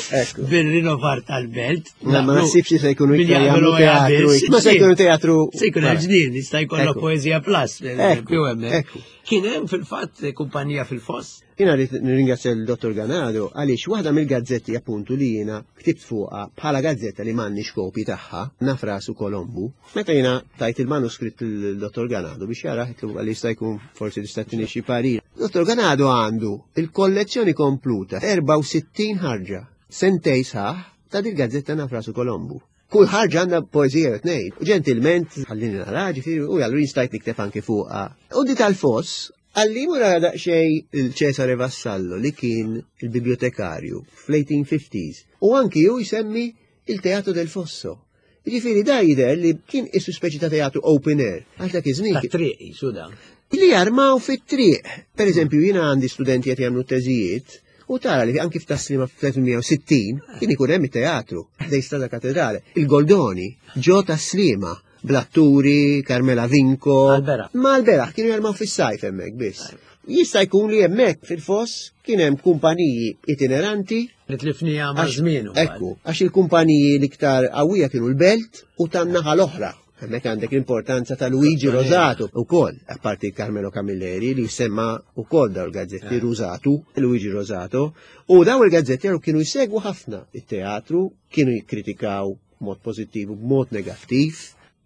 bil-rinovar tal-belt. Ma naħsibx li se jkunu iktar jagħmlu teatru. Ma se jkunu teatru. Se jkun ġnien, jista' jkollok poeżija plus. Kien hemm fil-fatt kumpanija fil-foss. Jiena rrid nirringrazzja l-Dottor Ganado għaliex waħda mill-gazzetti appuntu li jiena ktibt fuqha bħala gazzetta li m'għandniex kopji tagħha, naf rasu Kolombu. Meta jiena tajt il-manuskritt lill-Dottor Ganado biex jarah għidtlu għalli jista' jkun forsi tista' tini xi parir. Dottor Ganado għandu il-kollezzjoni kompluta 64 ħarġa, sentej sħaħ ta' dil-gazzetta naf rasu Kolombu. Kull ħarġa għandha poeżija jew tnejn. U ġentilment ħallini nara, ġifieri, u allura jien stajt nikteb anki fuqha. U di tal-foss Għalli mura daqsxejn il-Cesare Vassallo li kien il-bibliotekarju fl-1850s u anki hu jsemmi il-Teatro del Fosso. Jiġifieri da jidher li kien isu speċi ta' teatru open air. Għax dak iż-żmien. Ta' triq jisu da. Li jarmaw fit-triq. Per eżempju, jiena għandi studenti qed jagħmlu teżijiet u tara li anki f'Taslima fl-1860 kien ikun hemm it-teatru ħdej Strada Katedrale. Il-Goldoni ġo Taslima bl-atturi, Carmela Vinco. Mal-beraħ. Mal-beraħ, kienu jarmaw fis-sajf hemmhekk biss. Jista' jkun li hemmhekk fil-foss kien hemm kumpaniji itineranti. Li tlifnija ma' żmien. Ekku, għax il-kumpaniji l-iktar qawwija kienu l-belt u tan-naħa l-oħra. Hemmhekk għandek l-importanza ta' Luigi Rosato ukoll, apparti Carmelo Camilleri li semma ukoll daw il-gazzetti eh. Rosato, Luigi Rosato, u daw il-gazzetti kienu jsegwu ħafna it-teatru, kienu jikkritikaw b'mod pożittiv u b'mod negattiv.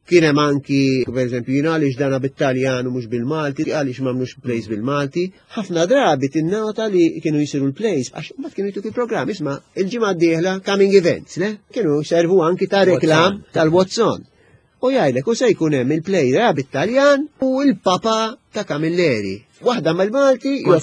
Kien hemm anki, pereżempju, jien għaliex dana bit-Taljan u mhux bil-Malti, għaliex m'għamlux plays bil-Malti. Ħafna drabi tinnota li kienu jsiru l-plays għax mbagħad kienu jtuk il-programm isma' il-ġimgħa d-dieħla coming events, le? Kienu jservu anki ta' reklam tal-Watson. U jgħidlek u se jkun hemm il-play bit-Taljan u l-Papa ta' Camilleri. Waħda mal-Malti, u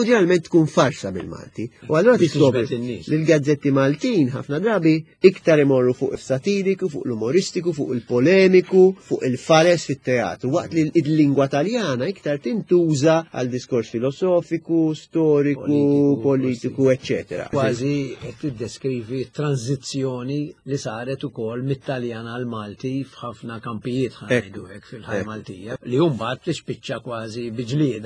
ġeneralment tkun farsa bil-Malti. U allura tiskopri li l-gazzetti Maltin ħafna drabi iktar imorru fuq il-satiriku, fuq l-umoristiku, fuq il-polemiku, fuq il-fares fit-teatru, waqt li l-lingwa Taljana iktar tintuża għal diskors filosofiku, storiku, politiku, eccetera. Kważi qed tiddeskrivi tranzizzjoni li saret ukoll mit-Taljan għal Malti f'ħafna kampijiet ħanajdu hekk fil-ħajja Maltija li mbagħad tispiċċa kważi bi ġlieda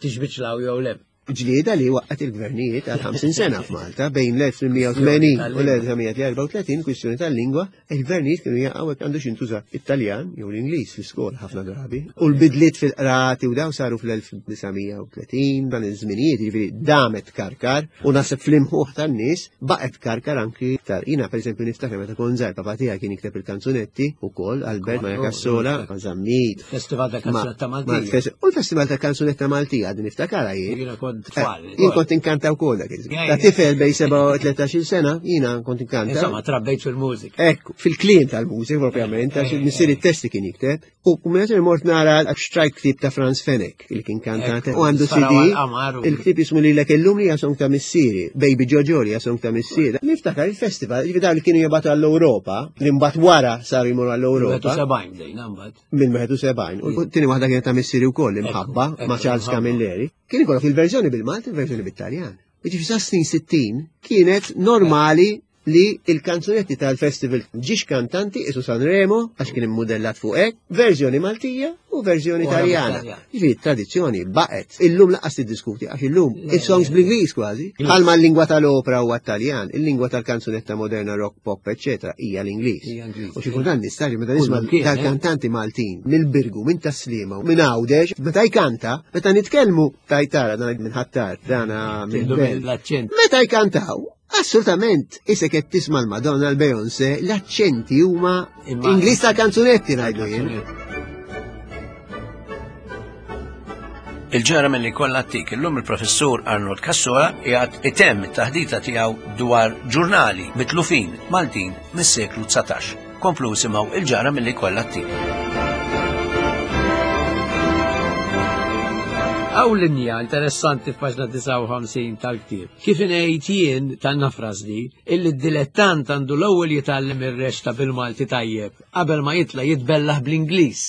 tixbiċlaw jew le. Ġlieda li waqqgħet il-gvernijiet għal 50 sena f'Malta bejn l-1880 u l-1934 kwistjoni tal-lingwa, il-gvernijiet kienu jaqgħu hekk għandu xintuża it-Taljan jew l-Ingliż fl-iskola ħafna drabi. U l-bidliet fil-qrati u daw saru fl-1930 dan iż-żminijiet, jiġifieri damet karkar u naħseb fl-imħuħ tan-nies baqgħet karkar anki iktar. Jiena pereżempju niftakar meta kont żgħir papa tiegħi kien jikteb il-kanzunetti ukoll Albert Maja Cassola, ma' Zammit. Festival ta' Kanzunetta Maltija. U l-Festival ta' Kanzunetta Maltija għadni niftakarha jien. Jiena kont eh, tfal. Jien kont inkanta wkoll dak iż-żmien. Ta' tifel bejn 13 sena jiena kont inkanta. Insomma, trabbejt fil-mużika. Ekku, fil-kliem tal-mużika propjament, għax eh, missier it-testi kien jikteb. U meta mort nara xtrajt ktib ta' Franz Fenech, il kien kantant, u għandu CD, il-ktib jismu li l illum li jasong ta' missieri, Baby Jojo li jasong ta' missieri. Niftakar il-festival, ġifi dawn li kienu jibatu għall-Europa, li mbagħad wara saru jmorru għall-Europa. Minn 71. U tieni waħda kienet ta' missieri wkoll imħabba ma' Charles Camilleri. Kien ikollok il-verżjoni bil-Malti, il-verżjoni bit-Taljan. Jiġifieri sa snin 60 kienet normali li il-kanzunetti tal-festival ġiex kantanti isu Sanremo għax kien immudellat fuq hekk, verżjoni Maltija u verżjoni Taljana. Jiġifieri tradizzjoni baqgħet. Illum laqas tiddiskuti għax illum is-songs bl-Ingliż kważi. Bħalma l-lingwa tal-opera huwa Taljan, il-lingwa tal-kanzunetta moderna rock, pop, eċetera hija l-Ingliż. U xi kultant nistaġi meta nisma' tal-kantanti Maltin mill-Birgu, minn Taslima, minn Għawdex, meta jkanta, meta nitkellmu tajtara dan minn Ħattar, dana minn Meta jkantaw, Assolutament, isek qed tisma' l-Madonna l-Beyoncé, l-aċċenti huma Ingliż ta' kanzunetti ngħidu jien. Il-ġara mill-li kollha tik illum il-professur Arnold Cassola qiegħed itemm it-taħdita tiegħu dwar ġurnali mitlufin Maltin mis-seklu 19. Komplu simgħu il-ġara mill-li kollha tik. Hawn linja interessanti f'paġna 59 tal-ktieb. Kif ingħid jien tan-nafras di, illi d-dilettant għandu l-ewwel jitgħallem ir-reċta bil-Malti tajjeb qabel ma jitla' jitbellaħ bl-Ingliż.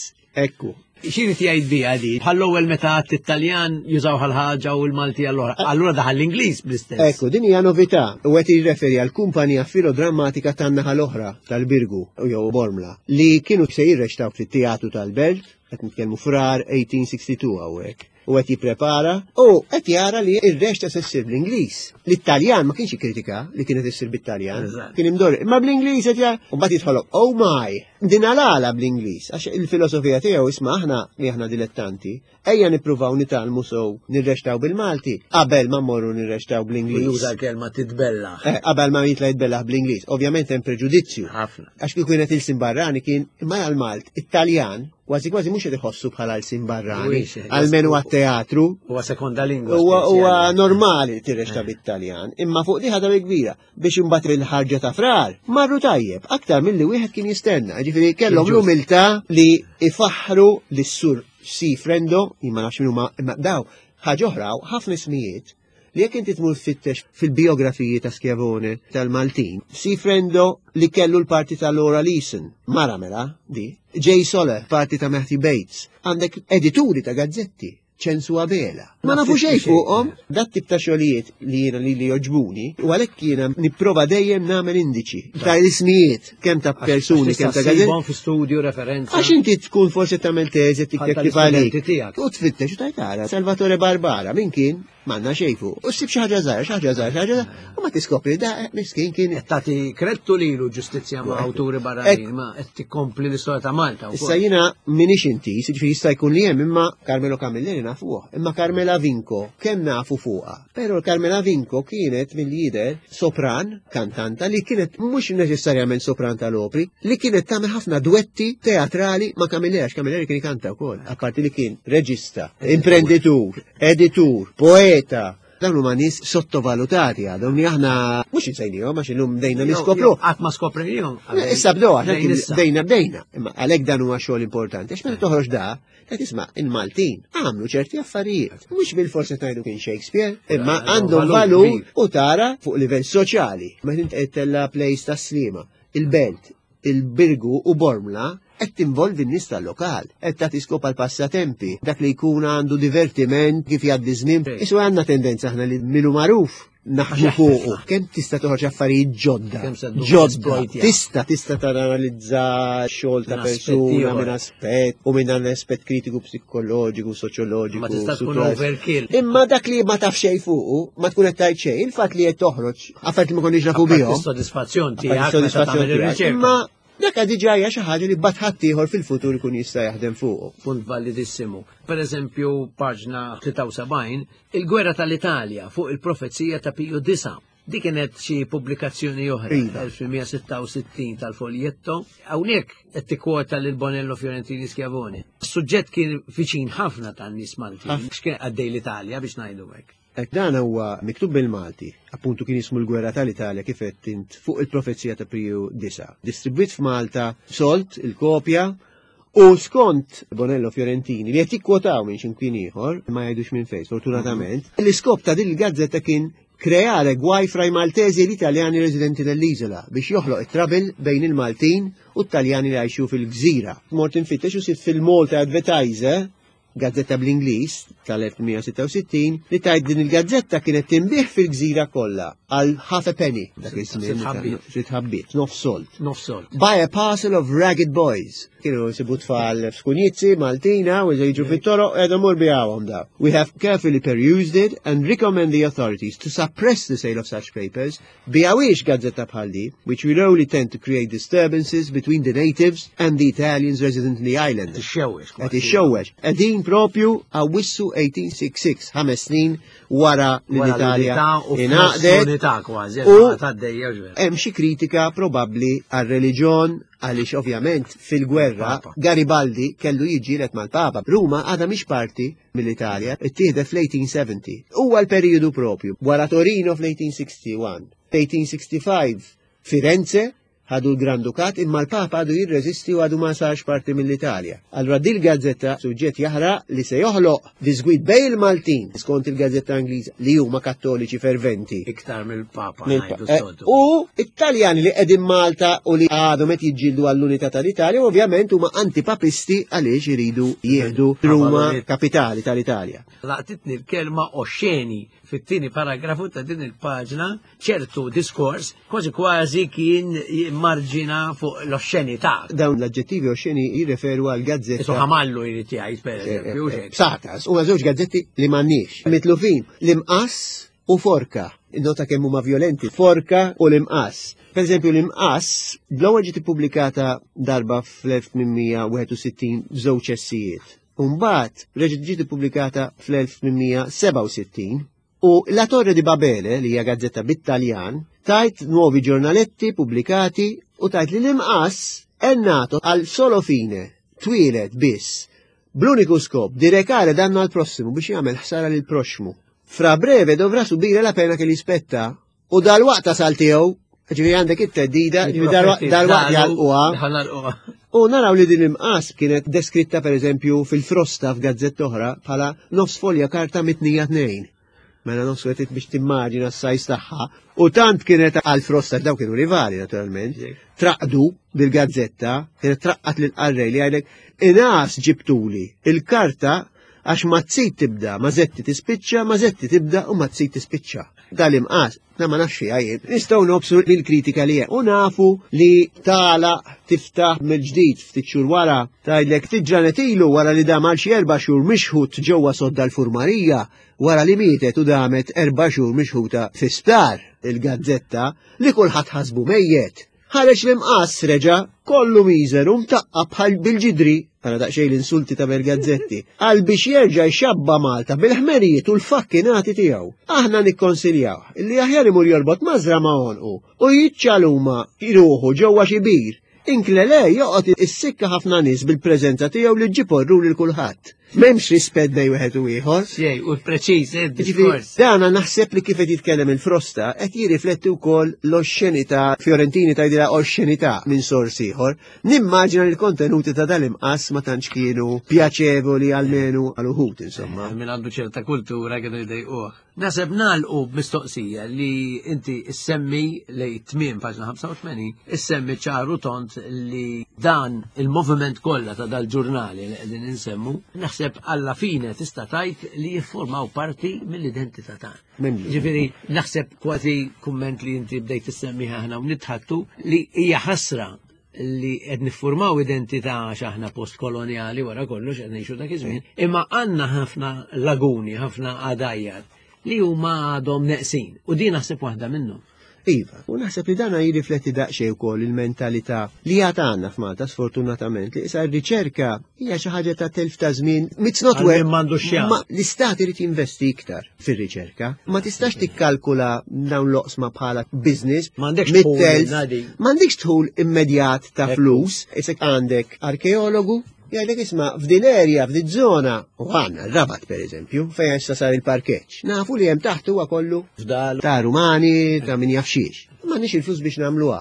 Ekku. X'irid jgħid biha di? Bħall-ewwel meta għadt it-Taljan jużaw ħal-ħaġa u l-Malti għall-oħra. Allura daħal l-Ingliż bl-istess. Ekku, din hija novità u qed jirreferi għal kumpanija filodrammatika tan-naħa l-oħra tal-Birgu jew Bormla li kienu se jirreċtaw fit-teatru tal-Belt, qed nitkellmu frar 1862 hawnhekk. u qed jipprepara u qed jara li r-reċta se ssir bl-Ingliż. L-Italjan ma kienx jikkritika li kienet issir bit-Taljan, kien imdorri, imma bl-Ingliż qed jara, u mbagħad jidħolok, oh my, din għala bl-Ingliż, għax il-filosofija tiegħu isma' aħna li aħna dilettanti, ejja nippruvaw nitgħallmu sew nirreċtaw bil-Malti qabel ma mmorru nirreċtaw bl-Ingliż. Juża l-kelma titbellaħ. Eh, qabel ma jitla jitbellaħ bl-Ingliż. Ovvjament hemm preġudizzju. Ħafna. Għax kieku kienet ilsin barrani kien imma għal-Malt, it-Taljan kważi kważi mhux qed iħossu bħala l-sin barrani, almenu għat-teatru. Huwa sekonda lingwa. Huwa normali tirrexta eh. bit-Taljan, imma fuq di ħadha kbira biex imbagħad il-ħarġa ta' frar marru tajjeb aktar milli wieħed kien jistenna. Ġifieri kellhom l-umiltà li ifaħħru lis-sur Si Frendo, jien ma nafx min huma imma daw ħaġa oħra ħafna ismijiet li jekk inti tmur tfittex fil-bijografiji ta' Schiavone tal-Maltin, Si Frendo li kellu l-parti ta' Laura Leeson, mara mela, di, Jay Soler, parti ta' Matthew Bates, għandek edituri ta' gazzetti, ċensu Abela. Ma nafu xejn fuqhom, dat tip ta' xogħlijiet li jiena li li joġbuni, u għalhekk jiena nipprova dejjem nagħmel indiċi ta' ismijiet kemm ta' persuni, kemm ta' gazzetti. fi studju referenza. Għax inti tkun forsi tagħmel teżi tikteb kif għalik. U tfittex u tajtara. Salvatore Barbara, min kien? M'għandna xejn fuq. U ssib xi ħaġa żgħira, xi ħaġa żgħira, xi ħaġa u ma tiskopri da eh, miskin kien. Qed tagħti krettu lilu ġustizzja ma' awturi barranin, ma qed tikkompli l-istorja ta' Malta. Issa jiena m'iniex inti, jiġifieri jista' jkun li hemm imma Carmelo Camilleri nafuh, imma Carmela Vinco kemm nafu fuqha. Però Carmela Vinco kienet mill-jidher sopran, kantanta li kienet mhux neċessarjament sopran tal-opri, li kienet tagħmel ħafna dwetti teatrali ma' Camilleri, għax Camilleri kien ikanta wkoll, apparti li kien reġista, imprenditur, editur, poeta, dawn huma nies sottovalutati għadhom li aħna mhux insejnihom għax illum bdejna niskopru. Qatt ma skoprejnihom. Issa bdew għax bdejna bdejna. Imma għalhekk dan huwa xogħol importanti. Għax meta toħroġ da, qed isma' il-Maltin għamlu ċerti affarijiet. Mhux bil-forsi tgħidu kien Shakespeare, imma għandhom valur u tara fuq livell soċjali. Meta inti qed tella place tas-Sliema, il-Belt, il-Birgu u Bormla qed tinvolvi n-nies tal-lokal, qed tagħti skop għal passatempi, dak li jkun għandu divertiment kif jgħaddi żmien. Isu għandna tendenza aħna li minu magħruf naħdmu fuqu. Kemm tista' toħroġ affarijiet ġodda? Ġodda. Tista' tista' tanalizza xogħol ta' persuna minn aspett u minn aspett kritiku psikoloġiku, soċjoloġiku. Ma tista' tkun overkill. Imma dak li ma taf xejn fuqu, ma tkun qed tgħid xejn, il-fatt li qed toħroġ affarijiet li ma konniex nafu bihom. Is-sodisfazzjon tiegħek meta tagħmel ir-riċerka. Imma dak diġà hija xi ħaġa li bad ħadd ieħor fil-futur ikun jista' jaħdem fuqu. Punt validissimu. Per eżempju, paġna 73, il-gwerra tal-Italja fuq il-profezija ta' Piju Disa. Di kienet xi pubblikazzjoni oħra, 1966 tal-Foljetto. Hawnhekk qed tikkwota lil Bonello Fiorentini Schiavone. Is-suġġett kien viċin ħafna tan-nies Maltin, x'kien għaddej l-Italja biex ngħidu hekk. Dan huwa miktub bil-Malti, appuntu kien jismu l-Gwerra tal-Italja kif għedt int fuq il-profezija ta' Piju Disa. Distribwit f'Malta, sold il-kopja u skont Bonello Fiorentini li qed jikkwotaw minn x'imkien ieħor, ma jgħidux minn fejn, sfortunatament, l-iskop ta' din il-gazzetta kien creare guai fra i Maltesi e gli Italiani residenti nell'isola biex joħloq it-trouble bejn il-Maltin u t-Taljani li jgħixu fil-gżira. Mort infittex u sibt fil-Malta Advertiser gazzetta bl-Ingliż tal-1866 li tgħid din il-gazzetta kienet tinbih fil-gżira kollha għal half a penny dak iż-żmien sitt ħabbiet, nofs sold. Nofs sold. By a parcel of ragged boys. Kienu jsibu tfal f'skunjizzi Maltina u jiġu fit-toroq qiegħda mur biegħuhom daw. We have carefully perused it and recommend the authorities to suppress the sale of such papers Biegħuhiex gazzetta bħal di, which will only tend to create disturbances between the natives and the Italians resident in the island. Ixxewwex. Qed ixxewwex. Qegħdin propju Awwissu 1866, ħames snin wara li l-Italja ingħaqdet. U hemm xi kritika probabbli għar-reliġjon għaliex ovvjament fil-gwerra Garibaldi kellu jiġġieled mal-Papa. Ruma għadha mhix parti mill-Italja ittieħdet fl-1870. Huwa l-perijodu propju wara Torino fl-1861. 1865 Firenze ħadu l-Gran Dukat imma l-Papa għadu jirreżisti u għadu ma sarx parti mill-Italja. Allura dil gazzetta suġġett jaħraq li se joħloq diżgwid bejn il-Maltin skont il-gazzetta Ingliża li huma kattoliċi ferventi. Iktar mill-Papa. Eh, u Italjani li qegħdin Malta u li għadhom qed jiġġieldu għall-unità tal-Italja ovvjament huma antipapisti għaliex iridu jieħdu Ruma kapitali tal-Italja. Laqtitni l-kelma oxxeni fit-tieni paragrafu ta' din il-paġna ċertu diskors kważi kważi kien Jimmarġina fuq l-oxxenità. Dawn l-aġġettivi oxxeni jirreferu għal gazzetta. Isu ħamallu jrid jgħid pereżempju. Eh, eh, Psatas, huma żewġ gazzetti li m'għandniex. Mitlufin l-imqass u forka. Nota kemm huma violenti, forka u l-imqass. Per eżempju, l-imqass l-ewwel ġiet ippubblikata darba fl-1861 żewġ essijiet. Umbagħad reġgħet ġiet ippubblikata fl-1867 u La Torre di Babele, li hija gazzetta bit-Taljan, tajt nuovi ġurnaletti pubblikati u tajt li l-imqass è nato għal solo fine, twieled biss, bl-uniku skop di recare danno al prossimo biex jagħmel ħsara lil proxmu. Fra breve dovrà subire la pena che gli spetta u dal-waqt tasal tiegħu, ġifieri għandek it-teddida, ġifieri dal-waqt jalquha. U naraw li din imqas kienet deskritta per eżempju fil-frosta f'gazzetta oħra bħala nofs folja karta mitnija tnejn. Mela nofs qed biex timmaġina s-sajz tagħha. U tant kienet għal frosta daw kienu rivali naturalment. Traqdu bil-gazzetta, kienet traqqat lil qarrej li għajlek inas ġibtuli il-karta għax ma tsid tibda, ma zetti tispiċċa, ma zetti tibda u ma tsid tispiċċa. Dal-imqas, na ma nafx fiha jien. Nistgħu nobsu mill-kritika li hemm u nafu li tala tiftaħ mill-ġdid ftit xhur wara tgħidlek ftit ġranet ilu wara li dam għal xi erba' xhur mixħut ġewwa sodda l-furmarija wara li mietet u damet erba' xhur mixħuta fi sptar il-gazzetta li kulħadd ħasbu mejjet. Ħareġ l-imqass reġa' kollu miżer u mtaqqab bħal bil-ġidri, ara daqsxejn l-insulti ta' Gazzetti, għal biex jerġa' jxabba Malta bil-ħmerijiet u l-fakkinati tiegħu. Aħna nikkonsiljaw li aħjar imur jorbot mażra ma' għonqu u jiċċaluma ruħu ġewwa xi bir. Inkle le joqgħod issikka ħafna nies bil-preżenza tiegħu li ġġib orru lil kulħadd. M'hemmx rispett bejn wieħed u ieħor. Xej, u preċiż, eh, diskors. Dana naħseb li kif qed jitkellem il-Frosta qed jirrifletti wkoll l-oxxenità, Fiorentini tgħidilha oxxenità minn sors ieħor. Nimmaġina li l-kontenuti ta' dal-imqas ma tantx kienu pjaċevoli almenu għal uħud insomma. Eh, min għandu ċerta kultura kienu jdejquh. Naseb nagħlqu b'mistoqsija li inti issemmi li tmiem paġna 85, issemmi ċaru tont li dan il-moviment kollha ta' dal-ġurnali li qegħdin insemmu, naħseb alla fine tista' tgħid li jiffurmaw parti mill-identità tagħna. Ġifieri naħseb kważi kumment li inti bdejt issemmi aħna u nitħattu li hija ħasra li qed niffurmaw identità għax aħna postkolonjali wara kollox qed ngħixu dak iż-żmien, imma għandna ħafna laguni, ħafna għadajjar li huma għadhom neqsin u din naħseb waħda minnhom. Iva, u naħseb li dana jirrifletti daqsxejn ukoll il-mentalità li għad għandna f'Malta sfortunatament li issa r-riċerka hija xi ħaġa ta' telf ta' żmien. It's not where m'għandux L-istat irid jinvesti iktar. fir-riċerka. Ma tistax tikkalkula dawn l-oqsma bħala business. M'għandekx dħul M'għandekx dħul immedjat ta' flus. Isek għandek arkeologu jgħidlek isma' f'din area, f'din zona, u għandna r-Rabat per eżempju, fejn issa sar il-parkeġġ. Nafu li hemm taħt huwa kollu fdal ta' Rumani, ta' min jaf xiex. M'għandniex il-flus biex nagħmluha.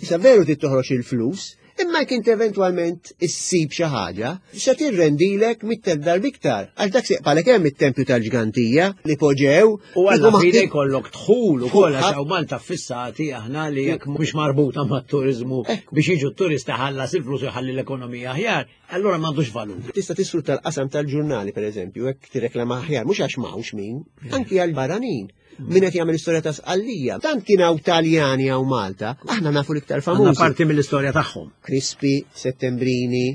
Issa veru trid toħroġ il-flus, Imma jekk inti eventwalment issib xi ħaġa, se tirrendilek mit-telf darba iktar. Għax dak se jqbalek hemm it-tempju tal-ġgantija li poġew. U għalla fine jkollok dħul ukoll għax hawn Malta fissati aħna li jekk mhux marbuta mat-turiżmu biex jiġu t-turisti ħallas il-flus u jħalli l-ekonomija aħjar, allura m'għandux valur. Tista' tisfrutta l-qasam tal-ġurnali pereżempju, hekk tirreklama aħjar, mhux għax m'hawnx min, anki għall-barranin. Min qed jagħmel istorja ta' Sqallija. Tant kien hawn Taljani hawn Malta, aħna nafu l-iktar famużi. Parti mill-istorja tagħhom. Crispi, Settembrini,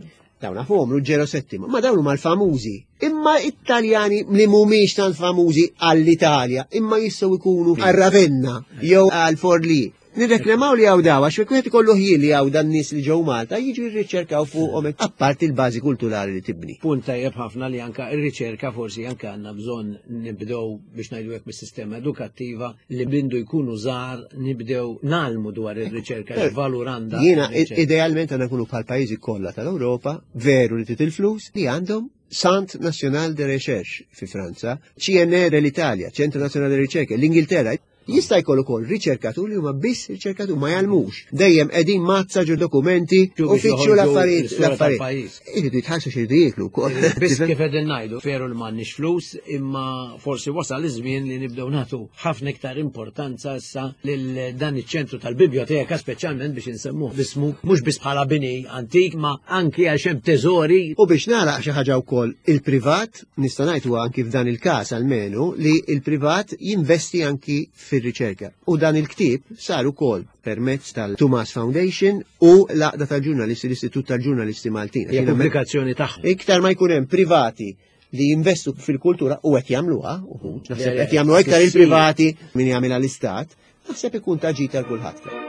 dawn nafuhom, Ruggero Settimo, ma dawn huma l-famużi. Imma Italjani li mhumiex tant famużi għall-Italja, imma jistgħu jkunu għal Ravenna jew għal Forlì. Nirreklamaw li hawn daw, għax wieħed ikollu ħjiel li hawn dan nies li ġew Malta jiġu jirriċerkaw fuqhom apparti l-bażi kulturali li tibni. Punt tajjeb ħafna li anka r-riċerka forsi anka għandna bżonn nibdew biex ngħidu hekk mis-sistema edukattiva li bindu jkunu żgħar nibdew nagħlmu dwar ir-riċerka eh, x'valur għandha. Jiena idealment għandna nkunu bħal pajjiżi kollha tal-Ewropa, veru li tit il-flus li għandhom Centre National de Recherche fi Franza, CNR l-Italja, Centro Nazzjonale de Ricerca, l-Ingilterra, Jista' jkollu wkoll riċerkatur li huma biss riċerkatur ma jgħallmux. Dejjem qegħdin mazza ġo dokumenti u fittxu l-affarijiet l-affarijiet. Iridu jitħallsu x'iridu jieklu wkoll. Biss kif qegħdin ngħidu, veru li m'għandniex flus, imma forsi wasal iż-żmien li nibdew nagħtu ħafna iktar importanza issa lil dan iċ-ċentru tal-bibljoteka speċjalment biex insemmuh b'ismu mhux biss bħala bini antik ma anki għax hemm teżori. U biex nagħlaq xi ħaġa wkoll il-privat nista' ngħid huwa anki f'dan il-każ almenu li l-privat jinvesti anki fir fir-riċerka. U dan il-ktieb sar ukoll permezz tal-Tumas Foundation u l-Għaqda tal-Ġurnalisti, l-Istitut tal-Ġurnalisti Maltin. Hija pubblikazzjoni tagħhom. Iktar ma jkun hemm privati li jinvestu fil-kultura u qed jagħmluha, uħud, naħseb qed jagħmluha iktar il-privati min jagħmilha l-istat, naħseb ikun ta' ġid għal kulħadd.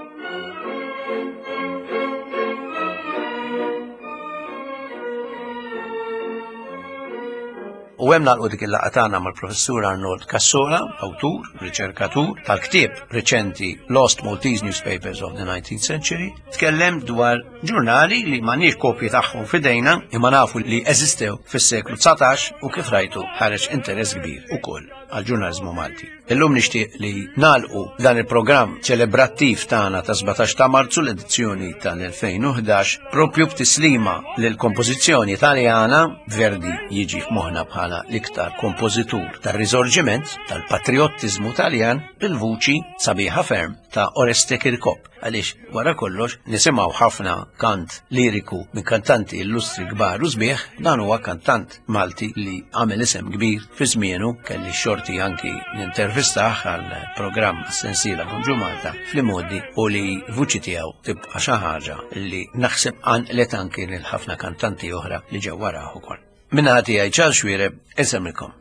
U hemm nagħlqu dik il-laqgħa tagħna mal-Professur Arnold Cassola, awtur, riċerkatur tal-ktieb reċenti Lost Maltese Newspapers of the 19th Century, tkellem dwar ġurnali li m'għandniex kopji tagħhom f'idejna imma nafu li eżistew fis-seklu 19 u kif rajtu ħareġ interess kbir ukoll għall-ġurnaliżmu Malti. Illum nixtieq li nagħlqu dan il-programm ċelebrattiv tagħna ta' 17 ta' Marzu l-edizzjoni tal-2011 propju b'tislima lil kompożizzjoni Taljana. Verdi jiġi f'moħħna bħala l-iktar kompożitur tar-riżorġiment tal-patriottiżmu Taljan bil-vuċi sabiħa ferm ta' Oreste Kirkop. Għaliex wara kollox nisimgħu ħafna kant liriku minn kantanti illustri kbar u sbieħ, dan huwa kantant Malti li għamel isem kbir fi żmienu, kelli xorti anki nintervistah għal programm sensiela Bonġu Malta fl-imgħoddi u li vuċi tiegħu tibqa' xi ħaġa li naħseb qanqlet anki lil ħafna kantanti oħra li ġew warah ukoll. Minna tiegħi Charles Xuereb, insemmilkom.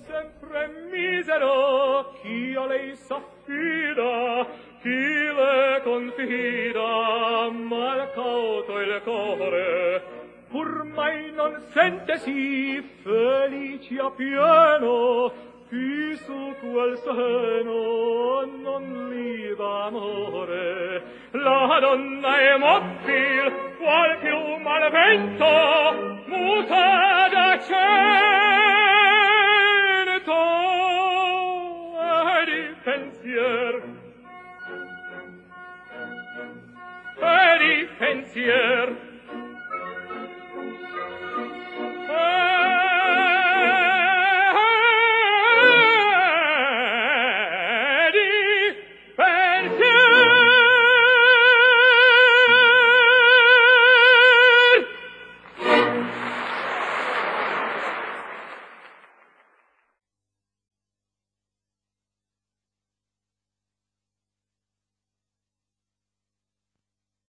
Sempre misero chi a lei s'affida, chi le confida, mal cauto il core, pur mai non sente sì felice a pieno, chi su quel seno non li d'amore. La donna è mobile, qual più malvento, muta d'accento e di pensier. E di pensier.